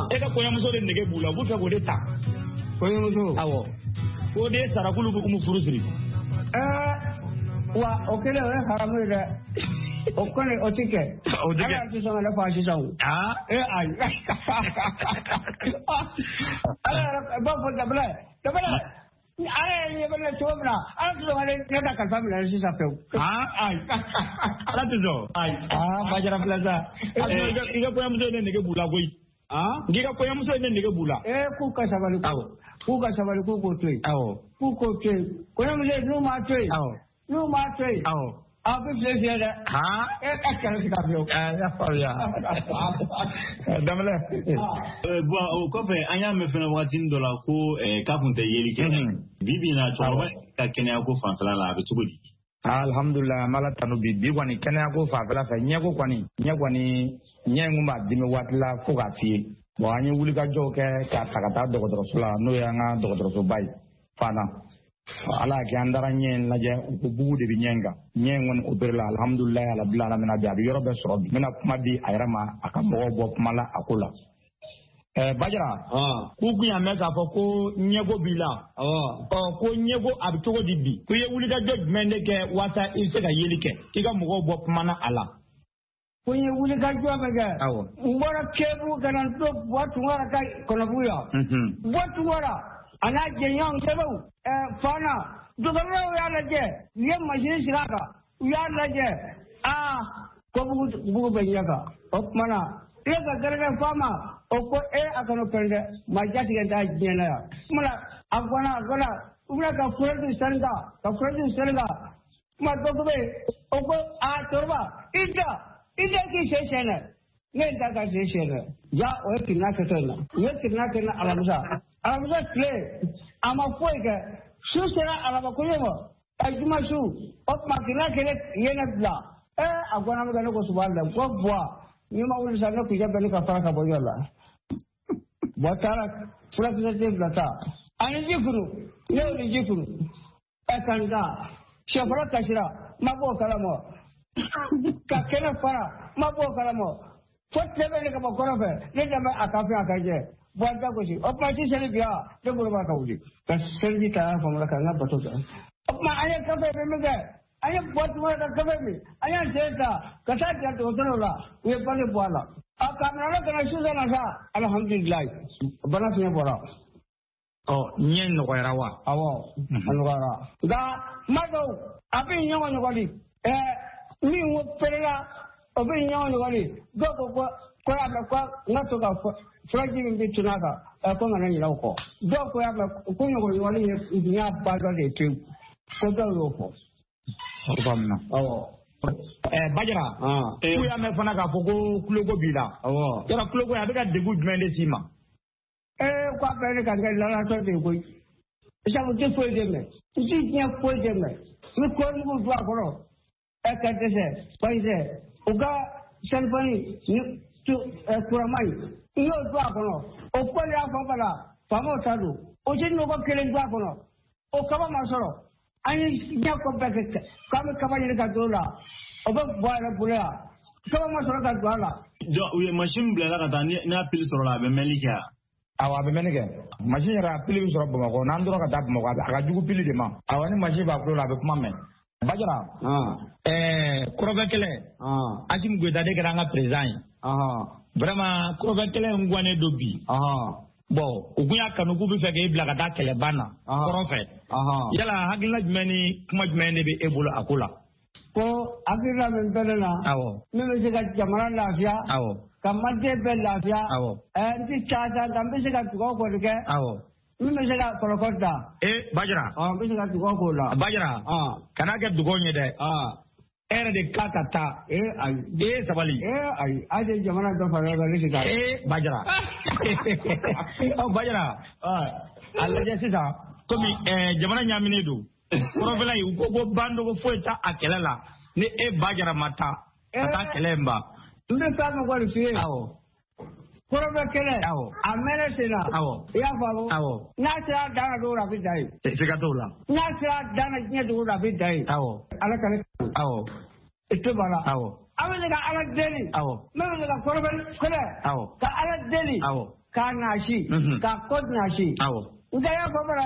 E ka kɔɲɔmuso de nege b'u la, u b'u fɛ k'o de ta. Kɔɲɔmuso? Awɔ. K'o de sara k'olu bɛ Umu furu siri.
Wa o kɛlen o ye haramu ye dɛ. O kɔni o ti kɛ.
O ti kɛ.
Ala tɛ sɔn ka ne fa sisan o. Ayi. Ala yɛrɛ b'a fɔ Dabila Dabila. Ala yɛrɛ ɲɛ bɛ ne cogo min na, Ala tɛ sɔn ka ne ka kalifa minɛ sisan pewu.
Ayi. Ala tɛ sɔn. Ayi. Bajara filɛ sa. I ka kɔɲɔmuso ye ne nege b'u la koyi. N'i ka kɔɲɔmuso ye ne nege b'u la.
K'u ka sabali.
Awɔ.
K'u ka sabali, k'u k'o to yen.
Awɔ.
K'u k'o to yen. Kɔɲɔmuso n'u m'a to yen.
Awɔ.
N'u m'a to yen.
Awɔ.
A bɛ file fiyɛ dɛ. E ka kɛlɛ sigi a fiyewu.
N y'a faamuya. Danbɛlɛ.
Bon, o kɔfɛ an y'a mɛn fɛnɛ wagatinin dɔ la ko k'a kun tɛ yeli kɛ. Bi bi in na, cɛkɔrɔba ka kɛnɛya ko fanfɛla la, a bɛ cogo di?
Alhamdulilah, an b'Ala tanu bi. Bi kɔni kɛnɛya ko fanfɛla fɛ, ɲɛko kɔni, ɲɛ kɔni, ɲɛ in kun b'a dimi waati la fo k'a f'i ye. Bon, an ye wulikajɔw kɛ k'a ta ka taa dɔgɔtɔrɔso la, n'o y'an ka dɔgɔtɔrɔsoba ye Fana. Ala y'a kɛ an taara ɲɛ in lajɛ, u ko bugu de bɛ ɲɛ in kan. Ɲɛ in kɔni opéré la, alhamdulilayi alabi alamina, bi a bɛ yɔrɔ bɛɛ sɔrɔ bi. N bɛna kuma di a yɛrɛ ma, a ka mɔgɔw bɔ kuma la a ko la. Bajara, k'u kun y'a mɛn k'a fɔ ko ɲɛko b'i la. Ko ɲɛko a bɛ cogo di bi? Ko i ye wulikajɔ jumɛn de kɛ walasa i bɛ se ka yeli kɛ? K'i ka mɔgɔw bɔ kuma na a la.
Ko n ye wulikajɔ min kɛ.
Awɔ.
N bɔra Kebu ka na n to Buwa Tunkara ka Kɔnɔbugu yan. Buwa Tunkara a n'a jɛɲɔgɔn sɛbɛnw Fana dɔgɔtɔrɔw y'a lajɛ, u ye masini sigi a kan, u y'a lajɛ, ko bugu bɛ ɲɛ kan. O tuma na ne ka gɛrɛgɛrɛ f'a ma, o ko a kana pɛrɛn dɛ, maa jatigɛ t'a diɲɛ na yan. O tuma na a fana U bɛna ka furaji sani kan, ka furaji sani kan. Kuma dɔ bɛ yen, o ko a cɛkɔrɔba, i da k'i sen sɛnɛ. Ne ye da ka sen sɛnɛ. Ja, o ye kirina kɛtɔ in na. U ye kirina kɛ na alamisa. Alamisa tile, a ma foyi kɛ. Su sera araba koɲɛ ma. Juma su, o tuma kirina kelen ye ne bila. A gɔnna min kɛ, ne ko subahana, ko buwa, n'i ma wuli sa, ne kuncɛ bɛ ne ka fara ka bɔ yɔrɔ la. Buwa taara furakisɛ den fila ta. Ani ji kuru, ne y'o ni ji kuru. Ka n da, sɛfɔlɔ kasira, n ma bɔ o kalama. Ka kɛnɛ fara, n ma bɔ o kalama. Fo tile bɛ ne ka bɔ kɔrɔ fɛ, ne danbɛ a ka fɛn a ka jɛ. Buwa da gosi, o tuma ti seli bi wa, ne bolo b'a ka wuli. Ka seliji ta y'a faamu ka n ka bato kɛ. O tuma an ye kafe min kɛ, an ye bɔ tuma ka kafe min, an y'an sen ta ka taa jira dɔgɔtɔrɔw la, u ye bange bɔ a la. A ka minɛ ka na su na sa, alihamudulilayi, bana fiɲɛ bɔra.
Ɔ, ɲɛ nɔgɔyara wa?
Awɔ, a nɔgɔyara. Nka kuma dɔw a bɛ ɲɔgɔn ɲɔgɔli. Min ko perela, o bɛ ɲɔgɔn ɲɔgɔli. Dɔw ko ko y'a mɛn ko n ka to ka furaji min bɛ tunu a kan, ko n kana ɲinɛ o kɔ. Dɔw ko y'a mɛn ko ɲɔgɔn ɲɔgɔli ye ɲɛ ba dɔ de ye pewu. Ko dɔw y'o fɔ.
O faamuna.
Awɔ.
Bajara, k'u y'a mɛn fana k'a fɔ ko tuloko b'i la.
Awɔ.
Yɔrɔ tuloko a bɛ ka degun jumɛn de s'i ma?
K'a bɛɛ ne ka kɛ lalatɔ de ye koyi. Sabu n tɛ foyi de mɛn. N tɛ diɲɛ foyi de mɛn. N bɛ kɔɔrimugu don a kɔrɔ. Ka dɛsɛ, paseke u ka selifani ni kurama in, n y'o don a kɔnɔ. O kɔli y'a fɔ bala, faamaw ta don. O tɛ nɔgɔ kelen don a kɔnɔ. O kaba ma sɔrɔ. An ye diɲɛ ko bɛɛ kɛ k'an bɛ kaba ɲini ka don o la. O bɛ bɔ a yɛrɛ bolo yan. Kaba ma sɔrɔ ka don a la.
Donc u ye mansin bila ka taa, n'a pili sɔrɔla a bɛ mɛnli kɛ wa?
Awɔ, a bɛ mɛnni kɛ. Mansin yɛrɛ a pili bɛ sɔrɔ Bamakɔ, n'an tora ka taa Bamakɔ, a ka jugu pili de ma. Awɔ, ni mansin b'a tulo la, a bɛ kuma mɛn. Bajara, kɔrɔfɛ kɛlɛ, Asimi Goyita de kɛra an ka président ye. Vraiment, kɔrɔfɛ kɛlɛ in guwannen don bi. Bon, u kun y'a kanu k'u bɛ fɛ k'e bila ka taa kɛlɛban na kɔrɔfɛ. Yala hakilina jumɛn ni kuma jumɛn de bɛ e bolo a ko la?
Ko hakilina min bɛ ne na, min bɛ se ka jamana lafiya, ka maliden bɛɛ lafiya, n tɛ ca nka n bɛ se ka dugawu kɔni kɛ. Min bɛ se ka kɔrɔkɔ da.
Bajara.
N bɛ se ka dugawu k'o la.
Bajara. Kana kɛ dugawu ye dɛ. E yɛrɛ de ka taa. Ayi. Sabali.
Ayi. A ye jamana dɔ fara ɲɔgɔn kan, ne tɛ taa.
Bajara. Ɔ Bajara. A lajɛ sisan komi jamana ɲaaminen don. Kɔrɔfɛla in u ko ko bandogo foyi t'a a kɛlɛ la. Ni e Bajara ma taa ka taa kɛlɛ in ban.
N bɛ taa min kɔni f'i ye.
Awɔ.
Kɔrɔfɛ kɛlɛ.
Awɔ.
A mɛnɛ sen na.
Awɔ.
I y'a faamu.
Awɔ.
N'a sera a dan na don o don a bɛ dan yen.
Siga t'o la.
N'a sera a dan na diɲɛ dugu a bɛ dan yen.
Awɔ.
Ala ka ne.
Awɔ.
I tɛ b'a la.
Awɔ.
An bɛ se ka Ala deli.
Awɔ.
Min bɛ se ka kɔrɔfɛ kɛlɛ.
Awɔ.
Ka Ala deli.
Awɔ.
K'a nasi. K'a kɔ nasi.
Awɔ.
Nka y'a fɔ fana.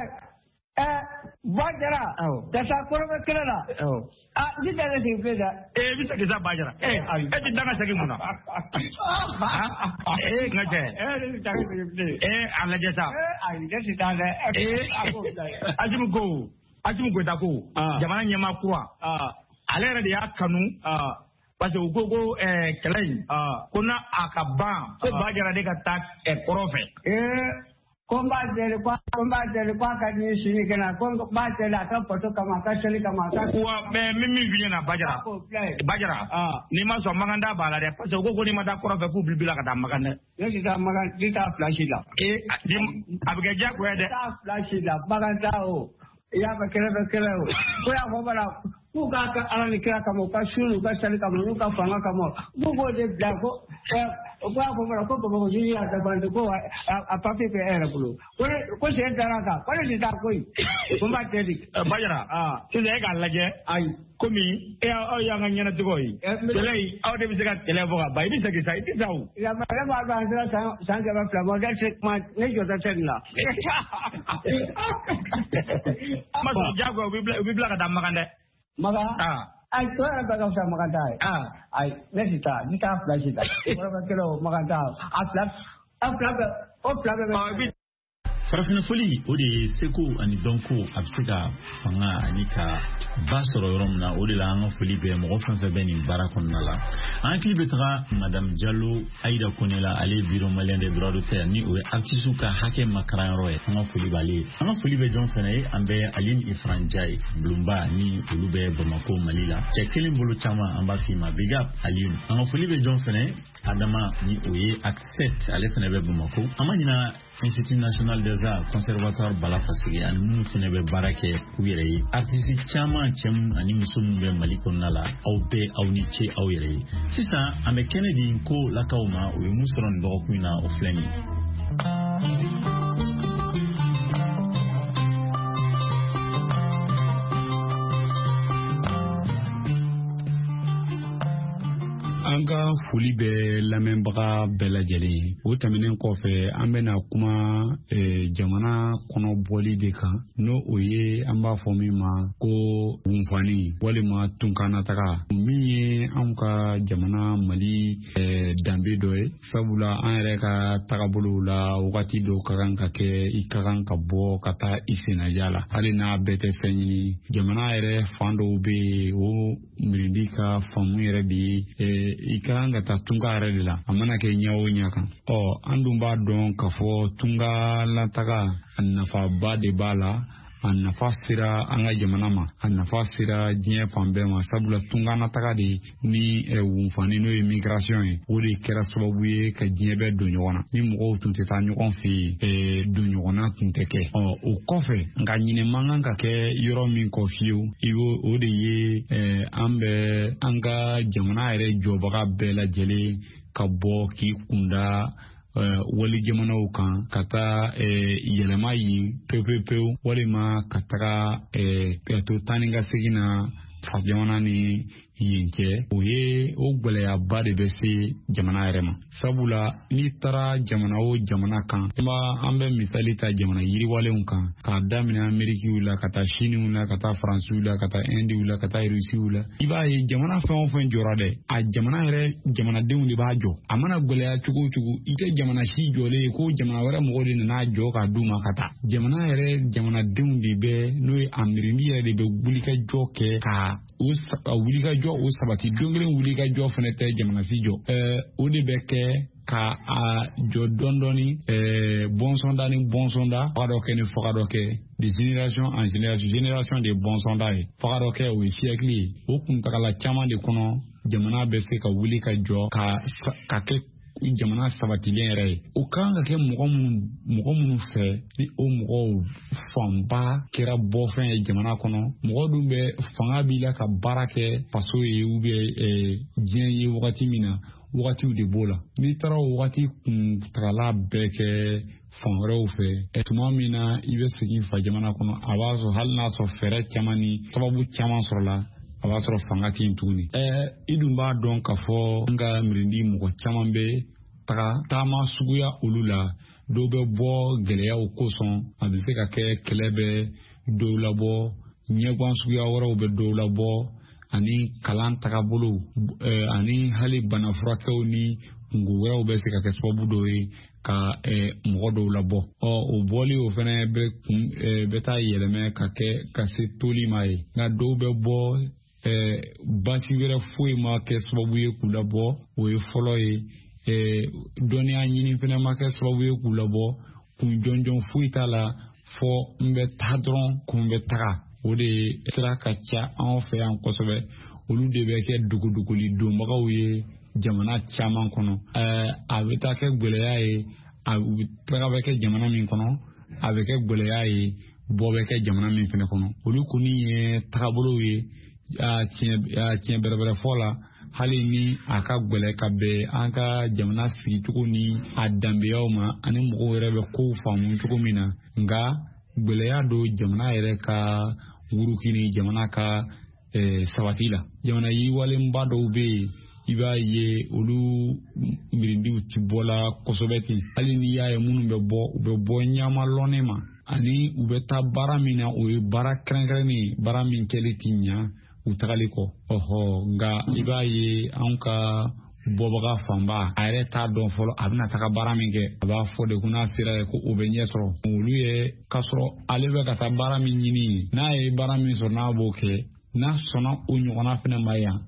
Bajara.
Awɔ.
Ka taa kɔrɔfɛ kɛlɛ la.
Awɔ.
N tɛ taa ne sigi bilen dɛ.
I bɛ segin sa Bajara. E tɛ taa ka segin mun na? N ka cɛ.
Ne tɛ taa ka segin bilen.
A lajɛ sa.
Ayi, ne tɛ taa dɛ.
Asimi Goyita ko, jamana ɲɛmaa kura. Ale yɛrɛ de y'a kanu. Parce que u ko ko kɛlɛ in, ko n'a a ka ban, ko Bajara de ka taa kɔrɔn fɛ.
Ko n b'a deli, ko n b'a deli, k'a ka di sini kɛnɛ, ko n b'a deli a ka bato kama, a ka seli kama, a ka.
Wa mɛ min f'i ɲɛna Bajara. Bajara, n'i ma sɔn Makan da b'a la dɛ, parce que u ko n'i ma taa kɔrɔn fɛ k'u b'i bila ka taa Makan dɛ.
Ne tɛ taa Makan, ne t'a fila si la.
A bɛ kɛ diyagoya dɛ.
Ne t'a fila si la, Makan da o, i y'a fɔ kɛlɛ bɛ kɛlɛ o, ko y'a fɔ bala k'u k'a kɛ Ala ni kira kama, u ka su n'u ka seli kama, n'u ka fanga kama, k'u k'o de bila ko. O ko y'a fɔ fana ko Bamakɔ juge y'a dafa ko a papier bɛ e yɛrɛ bolo, ko sen dara a kan, ko ne tɛ taa koyi, ko n b'a deli.
Bajara, sisan e k'a lajɛ.
Ayi.
Komi aw y'an ka ɲɛnatigɛw ye. Kɛlɛ in aw de bɛ se ka kɛlɛ fɔ ka ban, i bɛ segin sa, i tɛ sa o.
Ne b'a dɔn an sera san 200 ma, ne tɛ kuma, ne jɔtɔ tɛ nin la.
Ma sɔn diyagoya u b'i bila ka taa Makan dɛ.
Makan? Ayi, tɔ yɛrɛ bɛɛ ka fisa Makan ta ye. Ayi, ne tɛ taa, n t'a fila si ta. Kɔrɔfɛ kɛlɛ o, Makan ta, a fila bɛɛ, o fila bɛɛ bɛ.
Farafinna fɔli, o de ye seko ani dɔnko, a bɛ se ka fanga ani ka ba sɔrɔ yɔrɔ min na. O de la, an ka foli bɛ mɔgɔ fɛn fɛn bɛ nin baara kɔnɔna la. An hakili bɛ taga Madame Jalo Ayida Kone la, ale ye Bureau malien des droits d'auteur, ni o ye artiste ka hakɛ makaranyɔrɔ ye. An ka foli b'ale ye. An ka foli bɛ jɔn fɛnɛ ye? An bɛ Aline Ifran Jaye bulonba, ni olu bɛ Bamako, Mali la. Cɛ kelen bolo caman, an b'a f'i ma big up Aline. An ka foli bɛ jɔn fɛnɛ ye? Adama, ni o ye Accept, ale fɛnɛ bɛ Bamako. An ma ɲina Institut national des arts, conservatoire Bala Faseke, ani minnu fɛnɛ bɛ baara kɛ u yɛrɛ ye, artiste caman, cɛ minnu ani muso minnu bɛ Mali kɔnɔna la, aw bɛɛ, aw ni ce aw yɛrɛ ye. Sisan, an bɛ kɛnɛ di ko lakaw ma. O ye mun sɔrɔ nin dɔgɔkun in na? O filɛ nin ye.
An ka foli bɛ lamɛnbaga bɛɛ lajɛlen ye. O tɛmɛnen kɔfɛ, an bɛna kuma jamana kɔnɔ bɔli de kan, n'o o ye an b'a fɔ min ma ko wunfani walima tunkanataga, min ye anw ka jamana Mali danbe dɔ ye, sabula an yɛrɛ ka tagabolow la, wagati dɔw ka kan ka kɛ, i ka kan ka bɔ ka taa i sennaja la, hali n'a bɛɛ tɛ fɛn ɲini. Jamana yɛrɛ fan dɔw bɛ yen, o mirindi ka faamu yɛrɛ de ye i ka kan ka taa tunga yɛrɛ de la, a mana kɛ ɲɛ o ɲɛ kan. Ɔ, an dun b'a dɔn k'a fɔ tunga lataga, a nafaba de b'a la. A nafa sera an ka jamana ma, a nafa sera diɲɛ fan bɛɛ ma, sabula tunganataga de ni wunfani, n'o ye migration ye, o de kɛra sababu ye ka diɲɛ bɛɛ don ɲɔgɔn na. Ni mɔgɔw tun tɛ taa ɲɔgɔn fɛ yen, don ɲɔgɔnna tun tɛ kɛ. Ɔ, o kɔfɛ nka, ɲinɛ man kan ka kɛ yɔrɔ min kɔ fiyewu, i b'o o de ye an bɛ an ka jamana yɛrɛ jɔbaga bɛɛ lajɛlen ka bɔ k'i kunda wali jamanaw kan, ka taa yɛlɛma yen pewu pewu pewu, walima ka taga ka to taa ni ka segin na fa jamana ni yen cɛ. O ye o gwɛlɛyaba de bɛ se jamana yɛrɛ ma, sabula n'i taara jamana o jamana kan, an bɛ misali ta jamana yiriwalenw kan, k'a daminɛ Amerikiw la, ka taa Siniw la, ka taa Faransiw la, ka taa Indiw la, ka taa Rusiw la, i b'a ye jamana fɛn o fɛn jɔra dɛ, a jamana yɛrɛ jamanadenw de b'a jɔ. A mana gwɛlɛya cogo o cogo, i tɛ jamana si jɔlen ye ko jamana wɛrɛ mɔgɔw de nana jɔ k'a d'u ma ka taa. Jamana yɛrɛ jamanadenw de bɛ, n'o ye a mirindi yɛrɛ de bɛ wulikajɔ kɛ ka o wulikajɔ o sabati. Don kelen wulikajɔ fɛnɛ tɛ jamana si jɔ. O de bɛ kɛ ka a jɔ dɔɔni dɔɔni, bɔnsɔnda ni bɔnsɔnda, faga dɔ kɛ ni faga dɔ kɛ, de génération en génération. Génération de bɔnsɔnda ye, faga dɔ kɛ, o ye siècle ye. O kuntagala caman de kɔnɔ, jamana bɛ se ka wuli ka jɔ ka kɛ jamana sabatilen yɛrɛ ye. O kan ka kɛ mɔgɔ minnu fɛ, ni o mɔgɔw fanba kɛra bɔfɛn ye jamana kɔnɔ, mɔgɔ dun bɛ fanga b'i la ka baara kɛ faso ye ou bien diɲɛ ye wagati min na, wagatiw de b'o la. N'i taara o wagati kuntagala bɛɛ kɛ fan wɛrɛw fɛ, tuma min na i bɛ segin fa jamana kɔnɔ, a b'a sɔrɔ hali n'a sɔrɔ fɛɛrɛ caman ni sababu caman sɔrɔla, a b'a sɔrɔ fanga tɛ yen tuguni. I dun b'a dɔn k'a fɔ an ka mirindi mɔgɔ caman bɛ taga taama suguya olu la. Dɔw bɛ bɔ gɛlɛyaw kosɔn, a bɛ se ka kɛ kɛlɛ bɛ dɔw labɔ, ɲɛguwan suguya wɛrɛw bɛ dɔw labɔ, ani kalan tagabolo, ani hali bana furakɛw ni kungo wɛrɛw bɛ se ka kɛ sababu dɔw ye ka mɔgɔ dɔw labɔ. Ɔ, o bɔli o fɛnɛ bɛ kun bɛ taa yɛlɛmɛ ka kɛ ka se toli ma ye. Nka dɔw bɛ bɔ, baasi wɛrɛ foyi ma kɛ sababu ye k'u labɔ, o ye fɔlɔ ye. Dɔnniya ɲini fɛnɛ ma kɛ sababu ye k'u labɔ, kun jɔnjɔn foyi t'a la, fɔ n bɛ taa dɔrɔn, kun bɛ taga. O de sira ka ca anw fɛ yan kosɛbɛ. Olu de bɛ kɛ dogodogoli donbagaw ye jamana caman kɔnɔ. A bɛ taa kɛ gwɛlɛya ye, a taga bɛ kɛ jamana min kɔnɔ, a bɛ kɛ gwɛlɛya ye, bɔ bɛ kɛ jamana min fɛnɛ kɔnɔ. Olu kɔni ye tagabolow ye. A tiɲɛ bɛrɛbɛrɛ fɔ la, hali ni a ka gwɛlɛ ka bɛn an ka jamana sigicogo ni a danbeyaw ma, ani mɔgɔw yɛrɛ bɛ kow faamu cogo min na, nka gwɛlɛya don jamana yɛrɛ ka wuruki ni jamana ka sabati la. Jamana yiriwalenba dɔw bɛ yen, i b'a ye olu mirindiw ti bɔla kosɛbɛ ten. Hali n'i y'a ye minnu bɛ bɔ, u bɛ bɔ ɲama lɔnnen ma, ani u bɛ taa baara min na, o ye baara kɛrɛnkɛrɛnnen ye, baara min kɛli ti ɲa u tagali kɔ. Ɔhɔ, nka i b'a ye anw ka Bɔbaga fanba a yɛrɛ t'a dɔn fɔlɔ a bɛna taga baara min kɛ, a b'a fɔ de ko n'a sera ye ko o bɛ ɲɛ sɔrɔ. Olu ye k'a sɔrɔ ale bɛ ka taa baara min ɲini, n'a ye baara min sɔrɔ n'a b'o kɛ, n'a sɔnna o ɲɔgɔnna fɛnɛ ma yan,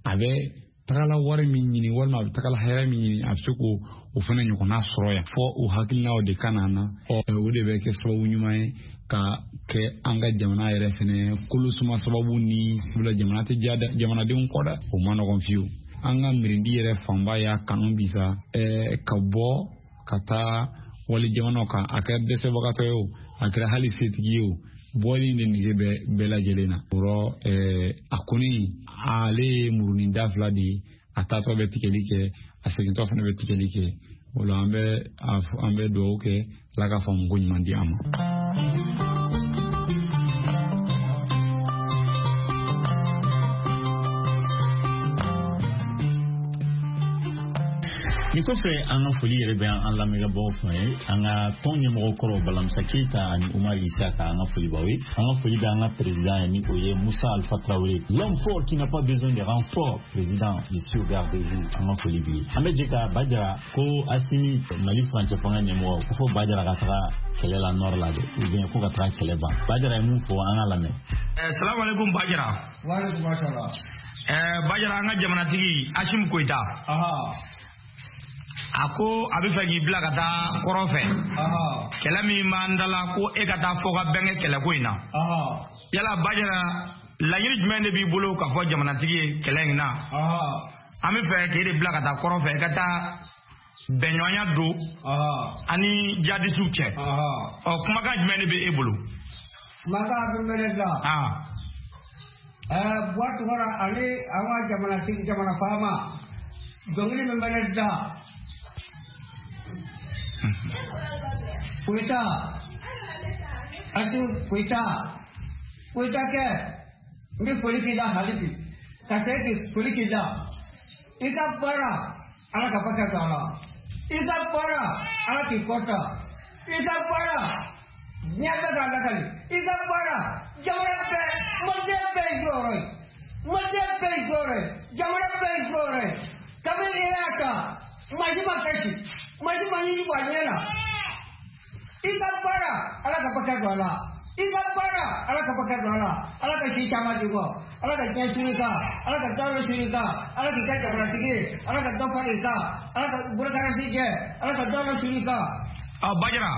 a bɛ tagala wari min ɲini walima a bɛ tagala hɛrɛ min ɲini, a bɛ se k'o o fɛnɛ ɲɔgɔnna sɔrɔ yan. Fɔ o hakilinaw de ka na na, o de bɛ kɛ sababu ɲuman ye ka kɛ an ka jamana yɛrɛ fɛnɛ kolosuma sababu ni bila jamana tɛ diya jamanadenw kɔ dɛ, o ma nɔgɔn fiyewu. An ka mirindi yɛrɛ fanba y'a kanu bi sa ka bɔ ka taa wali jamanaw kan, a kɛra dɛsɛbagatɔ ye o, a kɛra hali setigi ye o, bɔli de nege bɛ bɛɛ lajɛlen na. O rɔ a kɔni ale ye murunin da fila de ye, a taatɔ bɛ tigɛli kɛ, a segintɔ fana bɛ tigɛli kɛ. O la an bɛ dugawu kɛ Ala ka faamuko ɲuman di an ma.
Nin kɔfɛ an ka foli yɛrɛ bɛ an lamɛnbagaw fɛ, an ka tɔn ɲɛmɔgɔ kɔrɔ Balamisa Keyita ani Umar Isaka, an ka foli b'aw ye. An ka foli bɛ an ka président ye, ni o ye Musa Alpha Traoré, l'homme fort qui n'a pas besoin de renfort, président, je suis au garde-vous. An ka foli b'i ye. An bɛ jɛ ka Bajara ko Asimi Mali furancɛ fanga ɲɛmɔgɔ ko fɔ Bajara ka taga kɛlɛ la nord la dɛ, ou bien ko ka taga kɛlɛ ban. Bajara ye mun fɔ, an ka lamɛn.
Salamu alaikum Bajara.
Wa alaikum salam.
Bajara, an ka jamanatigi Asimi Goïta, a ko a bɛ fɛ k'i bila ka taa kɔrɔn fɛ, kɛlɛ min b'an da la ko e ka taa fɔ ka bɛn kɛ kɛlɛko in na. Yala Bajara, laɲini jumɛn de b'i bolo k'a fɔ jamanatigi ye kɛlɛ in na? An bɛ fɛ k'e de bila ka taa kɔrɔn fɛ, i ka taa bɛnɲɔgɔnya don ani jadisiw cɛ. Ɔ kumakan jumɛn de bɛ e bolo?
Kumakan bɛ ne da. Buwa Tunkara ani an ka jamanatigi jamana faama, dɔnkili min bɛ ne da. Koyita, Asimi Koyita, Koyita kɛ, n bɛ foli k'i la hali bi, ka segin k'i foli k'i la. I ka baara, Ala ka barika don a la. I ka baara, Ala k'i kɔta. I ka baara, diɲɛ bɛɛ k'a lakali. I ka baara, jamana bɛɛ, maliden bɛɛ y'i jɔyɔrɔ ye. Maliden bɛɛ y'i jɔyɔrɔ ye. Jamana bɛɛ y'i jɔyɔrɔ ye. Kabini e y'a ta, maa si ma kasi, maa si ma ɲini bɔ a ɲɛ la. I ka baara, Ala ka barika don a la. I ka baara, Ala ka barika don a la. Ala ka si caman di kɔ. Ala ka diɲɛ siri kan. Ala ka dawolo siri kan. Ala k'i ka jamanatigi ye. Ala ka dɔ fara i kan. Ala ka bolokarasi jɛ. Ala ka dawolo siri kan.
Bajara,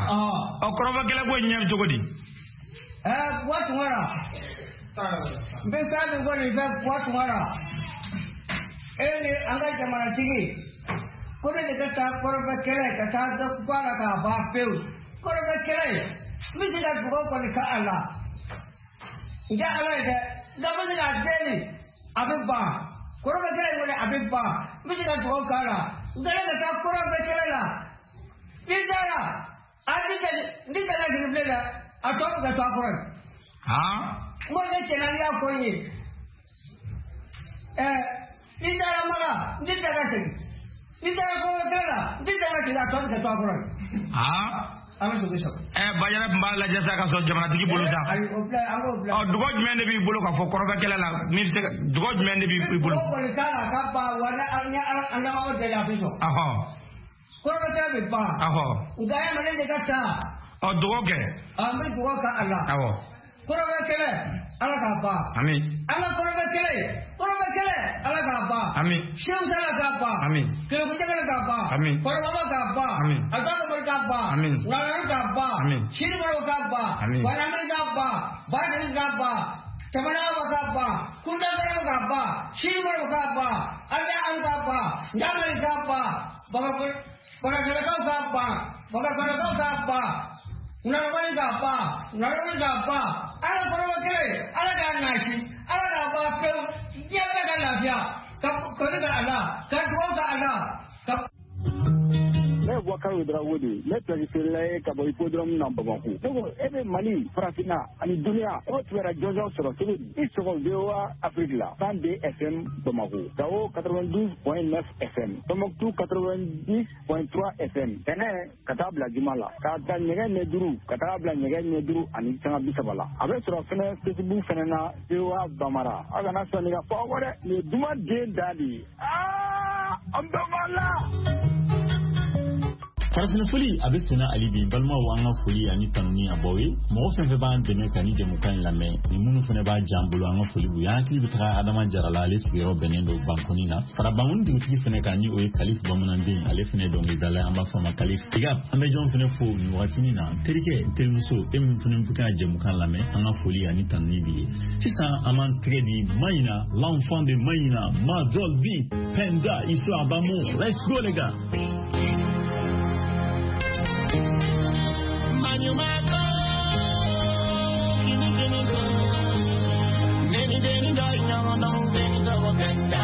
kɔrɔfɔ kɛlɛ ko in ɲɛ bɛ cogo di?
Buwa Tunkara, n bɛ fɛn min fɔ nin fɛ Buwa Tunkara, e ni an ka jamanatigi, ko ne de ka taa kɔrɔfɛ kɛlɛ ka taa dɔ bɔ a la k'a ban pewu. Kɔrɔfɛ kɛlɛ n bɛ se ka dugawu kɔni kɛ a la. N tɛ Ala ye dɛ, nka n bɛ se k'a deli a bɛ ban. Kɔrɔfɛ kɛlɛ in kɔni a bɛ ban. N bɛ se ka dugawu k'a la. Nka ne ka taa kɔrɔfɛ kɛlɛ la, ni n taara, a n tɛ tɛmɛ sigi bilen dɛ, a tɔ bɛ ka to a kɔrɔ yen. Morikɛ cɛna n'i y'a fɔ n ye, ni n taara Maka, n tɛ tɛmɛ segin. Ni n taara kɔrɔfɛ kɛlɛ la, n tɛ tɛmɛ segin, a tɔ bɛ ka to a kɔrɔ yen. Ala sago sago.
Bajara tun b'a lajɛ sa ka sɔrɔ jamanatigi bolo sa.
Ayi, o bila, an k'o bila.
Dugawu jumɛn de b'i bolo k'a fɔ kɔrɔfɛ kɛlɛ la, min bɛ se ka dugawu jumɛn de b'i bolo?
Dugawu kɔni t'a la ka ban wa, ni an lamɔgɔ deli a bɛ sɔn. Kɔrɔfɛ kɛlɛ bɛ ban. Nka e ma ne de ka taa.
Dugawu kɛ.
An bɛ dugawu kɛ a la.
Awɔ.
Kɔrɔfɛ kɛlɛ, Ala k'a ban.
Ami.
An ka kɔrɔfɛ kɛlɛ, kɔrɔfɛ kɛlɛ, Ala k'a ban.
Ami.
Sehu Sala k'a ban.
Ami.
Kɛlɛkunjɛkɛlɛ k'a ban.
Ami.
Kɔrɔbaba k'a ban.
Ami.
Abubakar k'a ban.
Ami.
Ŋanamu k'a ban.
Ami.
Siribaro k'a ban.
Ami.
Banamini k'a ban. Badiri k'a ban. Jamanawa k'a ban. Kundagaraw k'a ban. Siribaro k'a ban. Ala k'a ban. Ɲamari k'a ban. Bagakalakaw k'a ban. Bagakalakaw k'a ban. Ŋanamu k'a ban. Ŋanamu k'a ban. Ala kɔrɔbɔ kelen, Ala k'a nasi, Ala k'a ban pewu, diɲɛ bɛɛ ka lafiya, ka kɔni ka a la, ka dugawu ka a la.
Ne ye Boubacar Ouedraogo de ye, ne pilaki feerela ye ka bɔ hippodrome na Bamakɔ. Ne ko e bɛ Mali, Farafinna ani duniya, e b'o kibaruya jɔnjɔn sɔrɔ cogo di? I sɔgɔ VOA Afrique la, 102 FM Bamakɔ, Gao 92.9 FM, Tombouctou 90.3 FM. Tɛnɛ ka taa bila juma la, k'a ta nɛgɛ ɲɛ 5 ka taa bila nɛgɛ ɲɛ 5:30 la. A bɛ sɔrɔ fɛnɛ Facebook fɛnɛ na VOA Bambara. Aw kana sɔn nin ka fɔ aw kɔ dɛ, nin ye duman den da de ye. Aa!
An bɛɛ b'a la.
Farafinna foli a bɛ senna hali bi. Balimaw, an ka foli ani tanuni a b'aw ye. Mɔgɔ fɛn fɛn b'an dɛmɛ ka ni jɛmukan in lamɛn ni minnu fana b'a jan bolo, an ka foli b'u ye. An hakili bɛ taga Adama Jara la, ale sigiyɔrɔ bɛnnen don Bankoni na. Fara Bankoni dugutigi fana kan, ni o ye Kalif Bamananden, ale fana ye dɔnkilidala ye, an b'a fɔ a ma Kalif Tiga. An bɛ jɔn fana fo nin wagatinin na? N terikɛ, n terimuso, e min fana bɛ ka jɛmukan lamɛn, an ka foli ani tanuni b'i ye. Sisan an b'an tɛgɛ di Mayina, l'enfant de Mayina, Majol B Penda, histoire d'amour. Let's go les gars.
Manyumako, kini kini do, neni deni do nyomo dong deni do penda,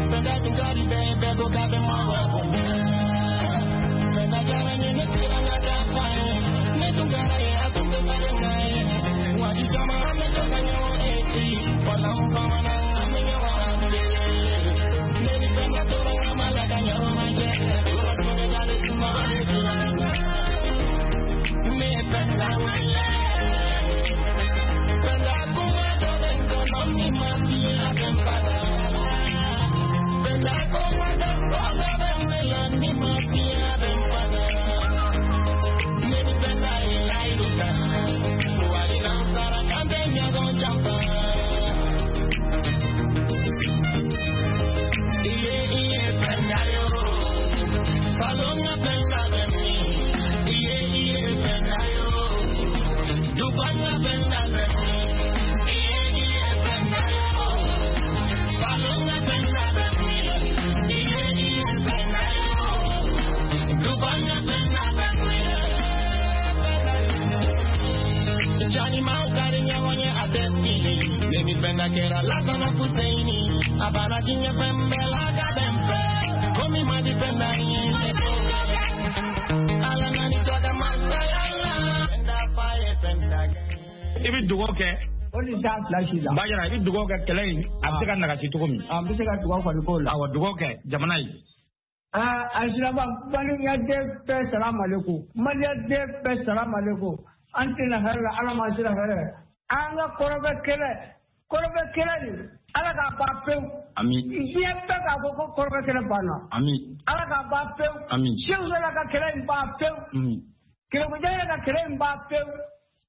penda tingari bebe go kabe mawa bonda, penda jara nene tira ngada pae, ne tungara ye atunga pare nae, wadi jama ame toka nyomo eti, wala mpamana ame nyomo amule, neni penda tora ngamala ka nyomo maje, ura sore dale suma wale tura. Me penda wale, penda kuma dobengo mami mafia bempala, penda kuma dobengo benela ni mafia bempala, me penda ilailuka, wali nansara kande nyago jampa, iye iye penda yo, salonga penda bemi. Iye iye penda yo, dubanga penda bemi. Iye iye penda yo, salonga penda bemi. Iye iye penda yo, dubanga penda bemi. Jani maukari nyawonye adesini, nemi penda kera latana kuseini, abana jinye pembe laga bembe, komi madi penda iye.
I bɛ dugawu kɛ.
O ni taa fila si la.
Bajara, i bɛ dugawu kɛ kɛlɛ in a bɛ se ka nagasi cogo min.
A bɛ se ka dugawu kɔni k'o la.
Awɔ, dugawu kɛ jamana ye.
Aa a silaba, maliyɛnden bɛɛ salamalekum, maliyɛnden bɛɛ salamalekum. An tɛna hɛrɛ la, Ala m'an sera hɛrɛ. An ka kɔrɔbɛ kɛlɛ, kɔrɔbɛ kɛlɛ nin, Ala k'a ban pewu.
Ami.
Diɲɛ bɛɛ k'a fɔ ko kɔrɔbɛ kɛlɛ banna.
Ami.
Ala k'a ban pewu.
Ami.
Seku Sala ka kɛlɛ in ban pewu. Kɛlɛkojɛ ka kɛlɛ in ban pewu.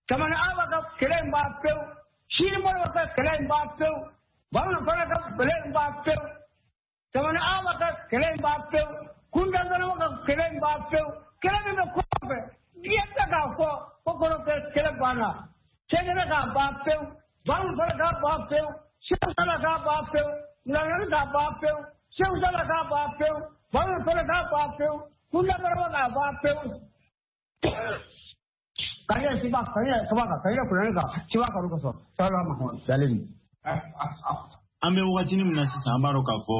Jamana Awa ka kɛlɛ in ban pewu. Sini Moribo ka kɛlɛ in ban pewu. Bamanan fana ka kɛlɛ in ban pewu. Jamana Awa ka kɛlɛ in ban pewu. Kunda Zanama ka kɛlɛ in ban pewu. Kɛlɛ min bɛ kɔfɛ, diɲɛ bɛɛ k'a fɔ ko kɔrɔbɛ kɛlɛ banna. Cɛkɛlɛ k'a ban pewu. Bamanan fana k'a ban pewu. Seku Sala k'a ban pewu. Nalani k'a ban pewu. Seku Sala k'a ban pewu. Bamanan fana k'a ban pewu. Kunda Zanama k'a ban pewu. Kaya siba kaya kaba kaya kuran ka siba karu ko so salama
salim.
An bɛ wagatinin min na sisan, an b'a dɔn k'a fɔ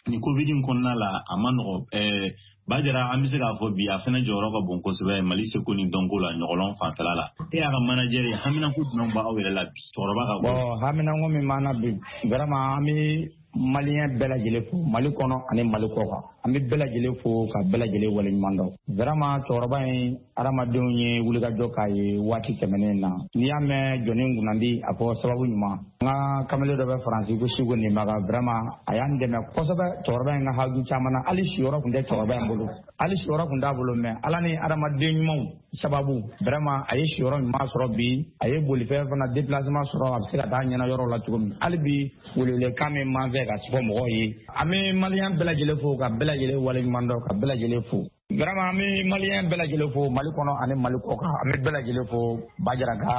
nin covid in kɔnɔna la a ma nɔgɔ. Bajara, an bɛ se k'a fɔ bi a fana jɔyɔrɔ ka bon kosɛbɛ Mali seko ni dɔnko la ɲɔgɔlɔn fanfɛla la. E y'a ka manager ye, haminanko jumɛn b'aw yɛrɛ la bi cɛkɔrɔba ka ko?
Bon, haminanko min b'an na bi, vraiment an bɛ maliyɛn bɛɛ lajɛlen fo Mali kɔnɔ ani Mali kɔ kan. An bɛ bɛɛ lajɛlen fo ka bɛɛ lajɛlen waleɲuman dɔn. Vraiment cɛkɔrɔba in, hadamadenw ye wulikajɔ k'a ye waati tɛmɛnen na. N'i y'a mɛn jɔnni kunnandi, a fɔ sababu ɲuman. N ka kamalen dɔ bɛ Faransi ko Siko Nimaga, vraiment a y'an dɛmɛ kosɛbɛ cɛkɔrɔba in ka haju caman na. Hali siyɔrɔ tun tɛ cɛkɔrɔba in bolo. Hali siyɔrɔ tun t'a bolo, mais Ala ni hadamaden ɲumanw sababu, vraiment a ye siyɔrɔ ɲuman sɔrɔ bi. A ye bolifɛn fana déplacement sɔrɔ, a bɛ se ka taa ɲɛna yɔrɔ la cogo min. Hali bi welewelekan min b'an fɛ ka fɔ mɔgɔw ye, an bɛ maliyɛn bɛɛ lajɛlen fo ka bɛɛ lajɛlen waleɲuman dɔn ka bɛɛ lajɛlen fo. Vraiment an bɛ maliyɛn bɛɛ lajɛlen fo Mali kɔnɔ ani Mali kɔ kan. An bɛ bɛɛ lajɛlen fo Bajara ka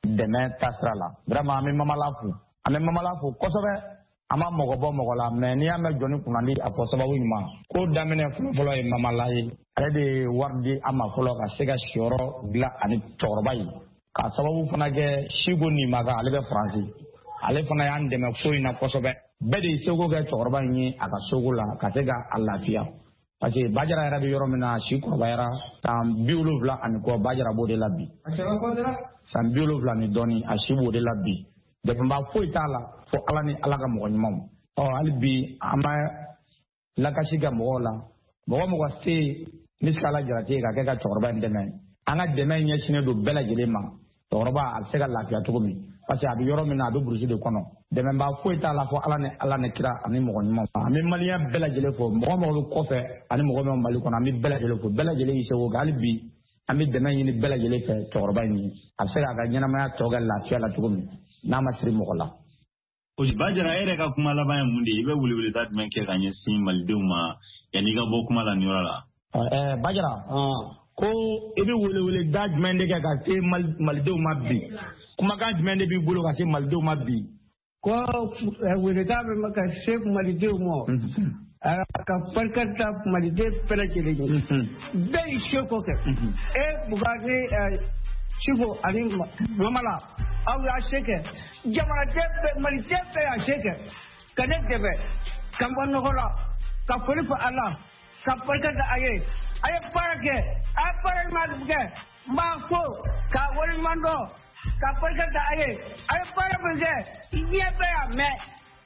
dɛmɛ taasira la. Vraiment an bɛ Mamala fo, an bɛ Mamala fo kosɛbɛ. An ma mɔgɔ bɔ mɔgɔ la, mais n'i y'a mɛn jɔnni kunnandi, a fɔ sababu ɲuman. Ko daminɛ fɔlɔfɔlɔ ye Mamala ye. Ale de ye wari di an ma fɔlɔ ka se ka siyɔrɔ dilan ani cɛkɔrɔba ye. K'a sababu fana kɛ Siko Nimaga, ale bɛ Faransi. Ale fana y'an dɛmɛ ko in na kosɛbɛ. Bɛɛ de ye seko kɛ cɛkɔrɔba in ye a ka soko la ka se ka a lafiya. Parce que Bajara yɛrɛ bɛ yɔrɔ min na, a si kɔrɔbayara san 70 ani kɔ, Bajara b'o de la bi. San 70 ni dɔɔni, a si b'o de la bi. Dɛmɛba foyi t'a la fo Ala ni Ala ka mɔgɔ ɲumanw. Ɔ hali bi an bɛ lakasi kɛ mɔgɔw la. Mɔgɔ mɔgɔ se misikala jarati ka kɛ ka cɛkɔrɔba in dɛmɛ. An ka dɛmɛ ɲɛsinnen don bɛɛ lajɛlen ma. Cɛkɔrɔba a bɛ se ka lafiya cogo min, parce que a bɛ yɔrɔ min na, a bɛ burusi de kɔnɔ. Dɛmɛbaa foyi t'a la fɔ Ala ni kira ani mɔgɔ ɲuman. An bɛ maliyɛn bɛɛ lajɛlen fo, mɔgɔ mɔgɔ bɛ kɔfɛ ani mɔgɔ min bɛ Mali kɔnɔ, an bɛ bɛɛ lajɛlen fo. Bɛɛ lajɛlen y'i seko kɛ. Hali bi an bɛ dɛmɛ ɲini bɛɛ lajɛlen fɛ cɛkɔrɔba in ye, a bɛ se k'a ka ɲɛnamaya tɔ kɛ lafiya la cogo min n'a ma siri mɔgɔ la.
Bajara, e yɛrɛ ka kuma laban ye mun de ye? I bɛ weleweleda jumɛn kɛ ka ɲɛsin malidenw ma yanni i ka bɔ kuma la nin yɔrɔ la?
Bajara, ko i bɛ weleweleda jumɛn de kɛ ka se malidenw ma bi? Kumakan jumɛn de b'i bolo ka se malidenw ma bi?
Ko weleda bɛ ka se malidenw ma, ka barika da maliden bɛɛ lajɛlen ye. Bɛɛ y'i seko kɛ. E Bugari Siko ani Mamala, aw y'a se kɛ. Jamanaden bɛɛ, maliden bɛɛ y'a se kɛ ka ne dɛmɛ ka n bɔ nɔgɔ la, ka foli fɔ a la, ka barika da a ye. A ye baara kɛ, a ye baara ɲuman kɛ. N b'a fo k'a waleɲuman dɔn, ka barika da a ye. A ye baara min kɛ, diɲɛ bɛɛ y'a mɛn.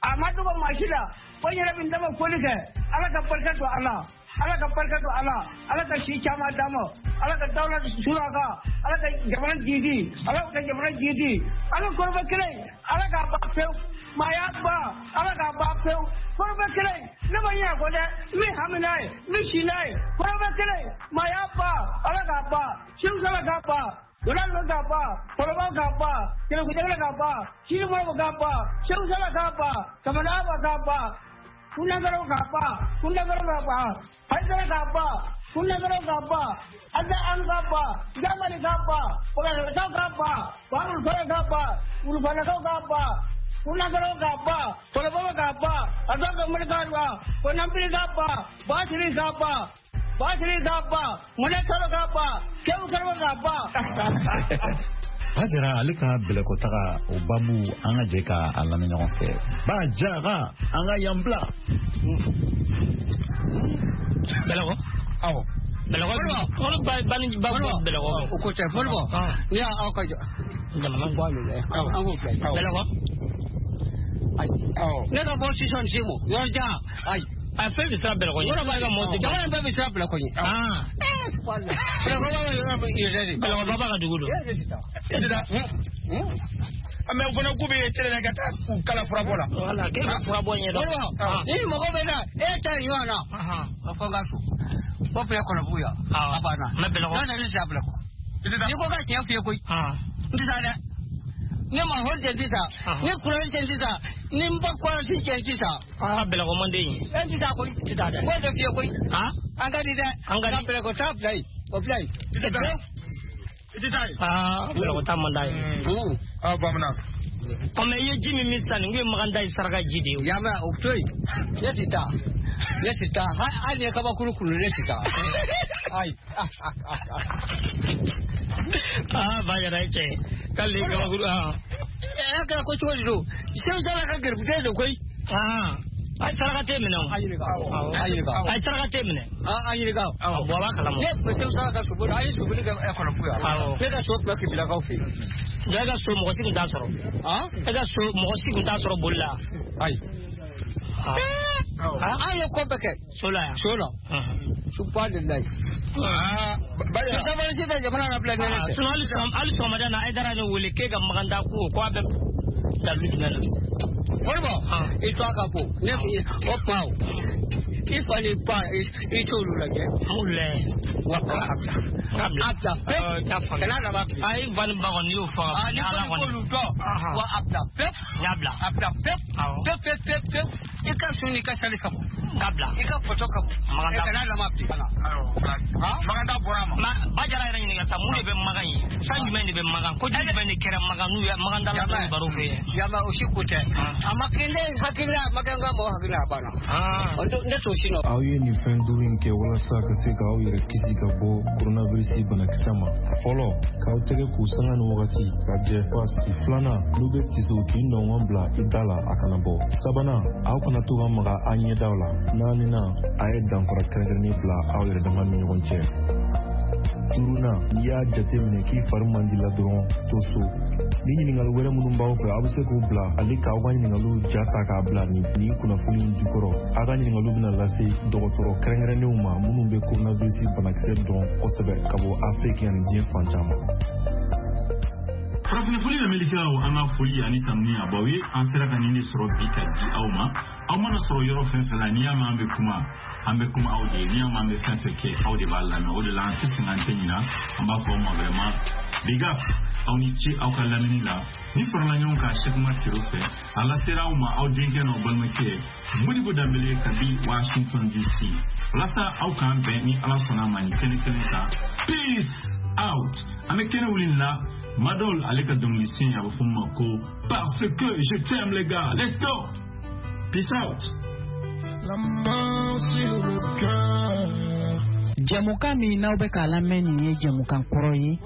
A ma dogo maa si la. Ko n yɛrɛ bɛ n dama foli kɛ. Ala ka barika don a la, Ala ka barika don a la, Ala ka si caman d'a ma, Ala ka dawula sura kan, Ala ka jamana jidi, Ala ka jamana jidi. Ala kɔrɔbɛ kelen, Ala k'a ban pewu. Maaya ban, Ala k'a ban pewu. Kɔrɔbɛ kelen, ne ma ɲinɛ kɔ dɛ, n bɛ hami n'a ye, n bɛ si n'a ye. Kɔrɔbɛ kelen, maaya ban, Ala k'a ban, Seku k'a ban, Wala k'a ban, Kɔrɔbaw k'a ban, Kɛlɛkujɛkɛlɛ k'a ban, Sini-Mɔrɔw k'a ban, Seku Sala k'a ban, Kamana k'a ban, Kunagaraw k'a ban, Kunagaraw k'a ban, Hayidara k'a ban, Kunagaraw k'a ban, Ada an k'a ban, Jamani k'a ban, Kɔlɔlɔkaw k'a ban, Barulufara k'a ban, Wulufanakaw k'a ban, Kunagaraw k'a ban, Kɔlɔbaw k'a ban, Adɔn Mali k'a ban, Kɔnɔnbiri k'a ban, Basiri k'a ban, Basiri k'a ban, Mɔnɛkalo k'a ban, Kewu Karaw k'a ban.
Bajara, ale ka bɛlɛkotaga o babu, an ka jɛ ka a lamɛn ɲɔgɔn fɛ. Bajara, an ka yan bila.
Bɛlɛkɔ?
Awɔ.
Bɛlɛkɔ? Olu bani ba bɛlɛkɔ.
O ko tɛ Modibo. N'i y'a aw ka jɔ.
Jamana.
An k'o bila.
Bɛlɛkɔ?
Ayi. Ne ka bɔ sisan Segu. Yɔrɔ jan. Ayi.
A fɛn bɛ siran bɛlɛkɔ ɲɛ.
Yɔrɔ b'a jamana in bɛɛ bɛ siran bɛlɛkɔ ɲɛ. Bɛlɛkɔ b'a yɔrɔ bɛ yɛrɛ de.
Bɛlɛkɔ baba ka dugu don.
Mais o fana k'u bɛ tɛlɛ ka taa u kala furabɔ la.
Wala k'e bɛ furabɔ ɲɛdɔn.
Ni mɔgɔ bɛ na e ta ɲɔgɔn na. O fɔ n ka so. O filɛ Kɔnɔbugu yan. A banna.
Mɛ bɛlɛkɔ.
N'o tɛ ne tɛ taa bɛlɛkɔ. N'i ko ka tiɲɛ f'i ye koyi. N tɛ taa dɛ. Ne ma hɔn cɛ sisan, ni kuran cɛ sisan, ni n ba kɔlɔsi cɛ sisan.
Aa bɛlɛkɔ man den ye.
E tɛ taa koyi.
Tɛ taa dɛ.
N b'o de f'i ye koyi. An ka di dɛ.
An ka di.
Nka bɛlɛkɔ taa bila yen. O bila yen.
I tɛ taa yen.
Aa bɛlɛkɔ taa man d'a ye.
Aa bamanan.
Ɔ mɛ i ye ji min sisan nin kun ye Maganda ye saraka ji de ye.
Yamɛ o to yen. Ne tɛ taa. Ne tɛ taa. Hali ni ye kabakuru kuru ne tɛ taa. Ayi.
Aa Bajara ye cɛ ye. K'ale ye kabakuru.
A kɛra ko cogo di don? Seku Sala ka garibuden don koyi.
A saraka tɛ minɛ o.
A ɲininka. A ɲininka.
A saraka tɛ minɛ.
A ɲininka.
Awɔ, bɔ a b'a kalama.
Ne tun bɛ Seku Sala ka so boli, an ye soboli kɛ Kɔnɔbugu yan.
Awɔ.
Ne ka so tun bɛ Kebilakaw fɛ yen.
E ka so mɔgɔ si tun t'a sɔrɔ. E ka so mɔgɔ si tun t'a sɔrɔ boli la.
Ayi. An ye ko bɛɛ kɛ.
So la yan.
So la. Subhanallahi. Sabali sisan jamana na bila ne cɛ.
Sinon hali sɔgɔmada na Hayidara ne wele k'e ka Maganda ko a bɛ dalu jumɛn na.
Modibo, i to a ka bon. Ne o kuma o. I fa ni ba i t'olu lajɛ.
An b'olu lajɛ.
Wa a bila. A bila pewu. Kana laban bilen.
Ayi fa ni ba kɔni n'i y'o fɔ ka ban.
Ni ko k'olu dɔn. Wa a bila pewu.
N y'a bila.
A bila pewu. Pewu pewu pewu pewu. I ka sun n'i ka sali ka bɔ.
K'a bila.
I ka photo ka bɔ.
Maganda.
Kana laban bilen.
Maganda bɔra a ma.
Bajara yɛrɛ ɲininka sa mun de bɛ Magan ye? Fɛn jumɛn de bɛ Magan? Ko jumɛn de kɛra Magan n'u ye Maganda la n'u baro fɛ yen?
Yama o si ko tɛ. A ma kɛ ne hakili la, a ma kɛ n ka mɔgɔ hakili la a banna. Ne t'o si nɔ.
Aw ye nin fɛn duuru in kɛ walasa ka se k'aw yɛrɛ kisi ka bɔ coronavirus banakisɛ ma. Fɔlɔ, k'aw tɛgɛ k'u sanga ni wagati ka jɛ pasi. Filanan, n'u bɛ tiso k'i nɔngɔn bila i da la a kana bɔ. Sabanan, aw kana to ka maga a ɲɛdaw la. Naaninan, a ye danfara kɛrɛnkɛrɛnnen bila aw yɛrɛ dama ni ɲɔgɔn cɛ. Duurunan, n'i y'a jateminɛ k'i fari man di la dɔrɔn to so. Ni ɲininkali wɛrɛ minnu b'aw fɛ, aw bɛ se k'u bila ani k'aw ka ɲininkaliw ja ta k'a bila nin kunnafoni in jukɔrɔ. Aw ka ɲininkaliw bɛna lase dɔgɔtɔrɔ kɛrɛnkɛrɛnnenw ma minnu bɛ coronavirus banakisɛ dɔn kosɛbɛ ka bɔ Afiriki ani diɲɛ fan caman.
Farafinna foli lamɛnnikɛlaw, an ka foli ani tanuni a b'aw ye. An sera ka nin de sɔrɔ bi ka di aw ma. Aw mana sɔrɔ yɔrɔ fɛn fɛn la, n'i y'a mɛn an bɛ kuma, an bɛ kuma aw de ye. N'i y'a mɛn an bɛ fɛn fɛn kɛ, aw de b'a lamɛn. O de la an tɛ sɛgɛn, an tɛ ɲina. An b'a fɔ aw ma vraiment big up, aw ni ce aw ka lamɛnni la. Ni farala ɲɔgɔn kan Sɛkuma Tero fɛ, a lasera aw ma aw denkɛ n'aw balimakɛ Modibo Danbele kabi Washington DC, walasa aw k'an bɛn ni Ala sɔnna ma nin kɛnɛ kelen kan. Peace out. An bɛ kɛnɛ wuli nin la, Madol ale ka dɔnkili sen, a bɛ fɔ min ma ko "Parce que je t'aime". Les gars, let's go, peace out.
La main sur le cœur.
Jɛmukan min n'aw bɛ k'a lamɛn, nin ye jɛmukan kɔrɔ ye.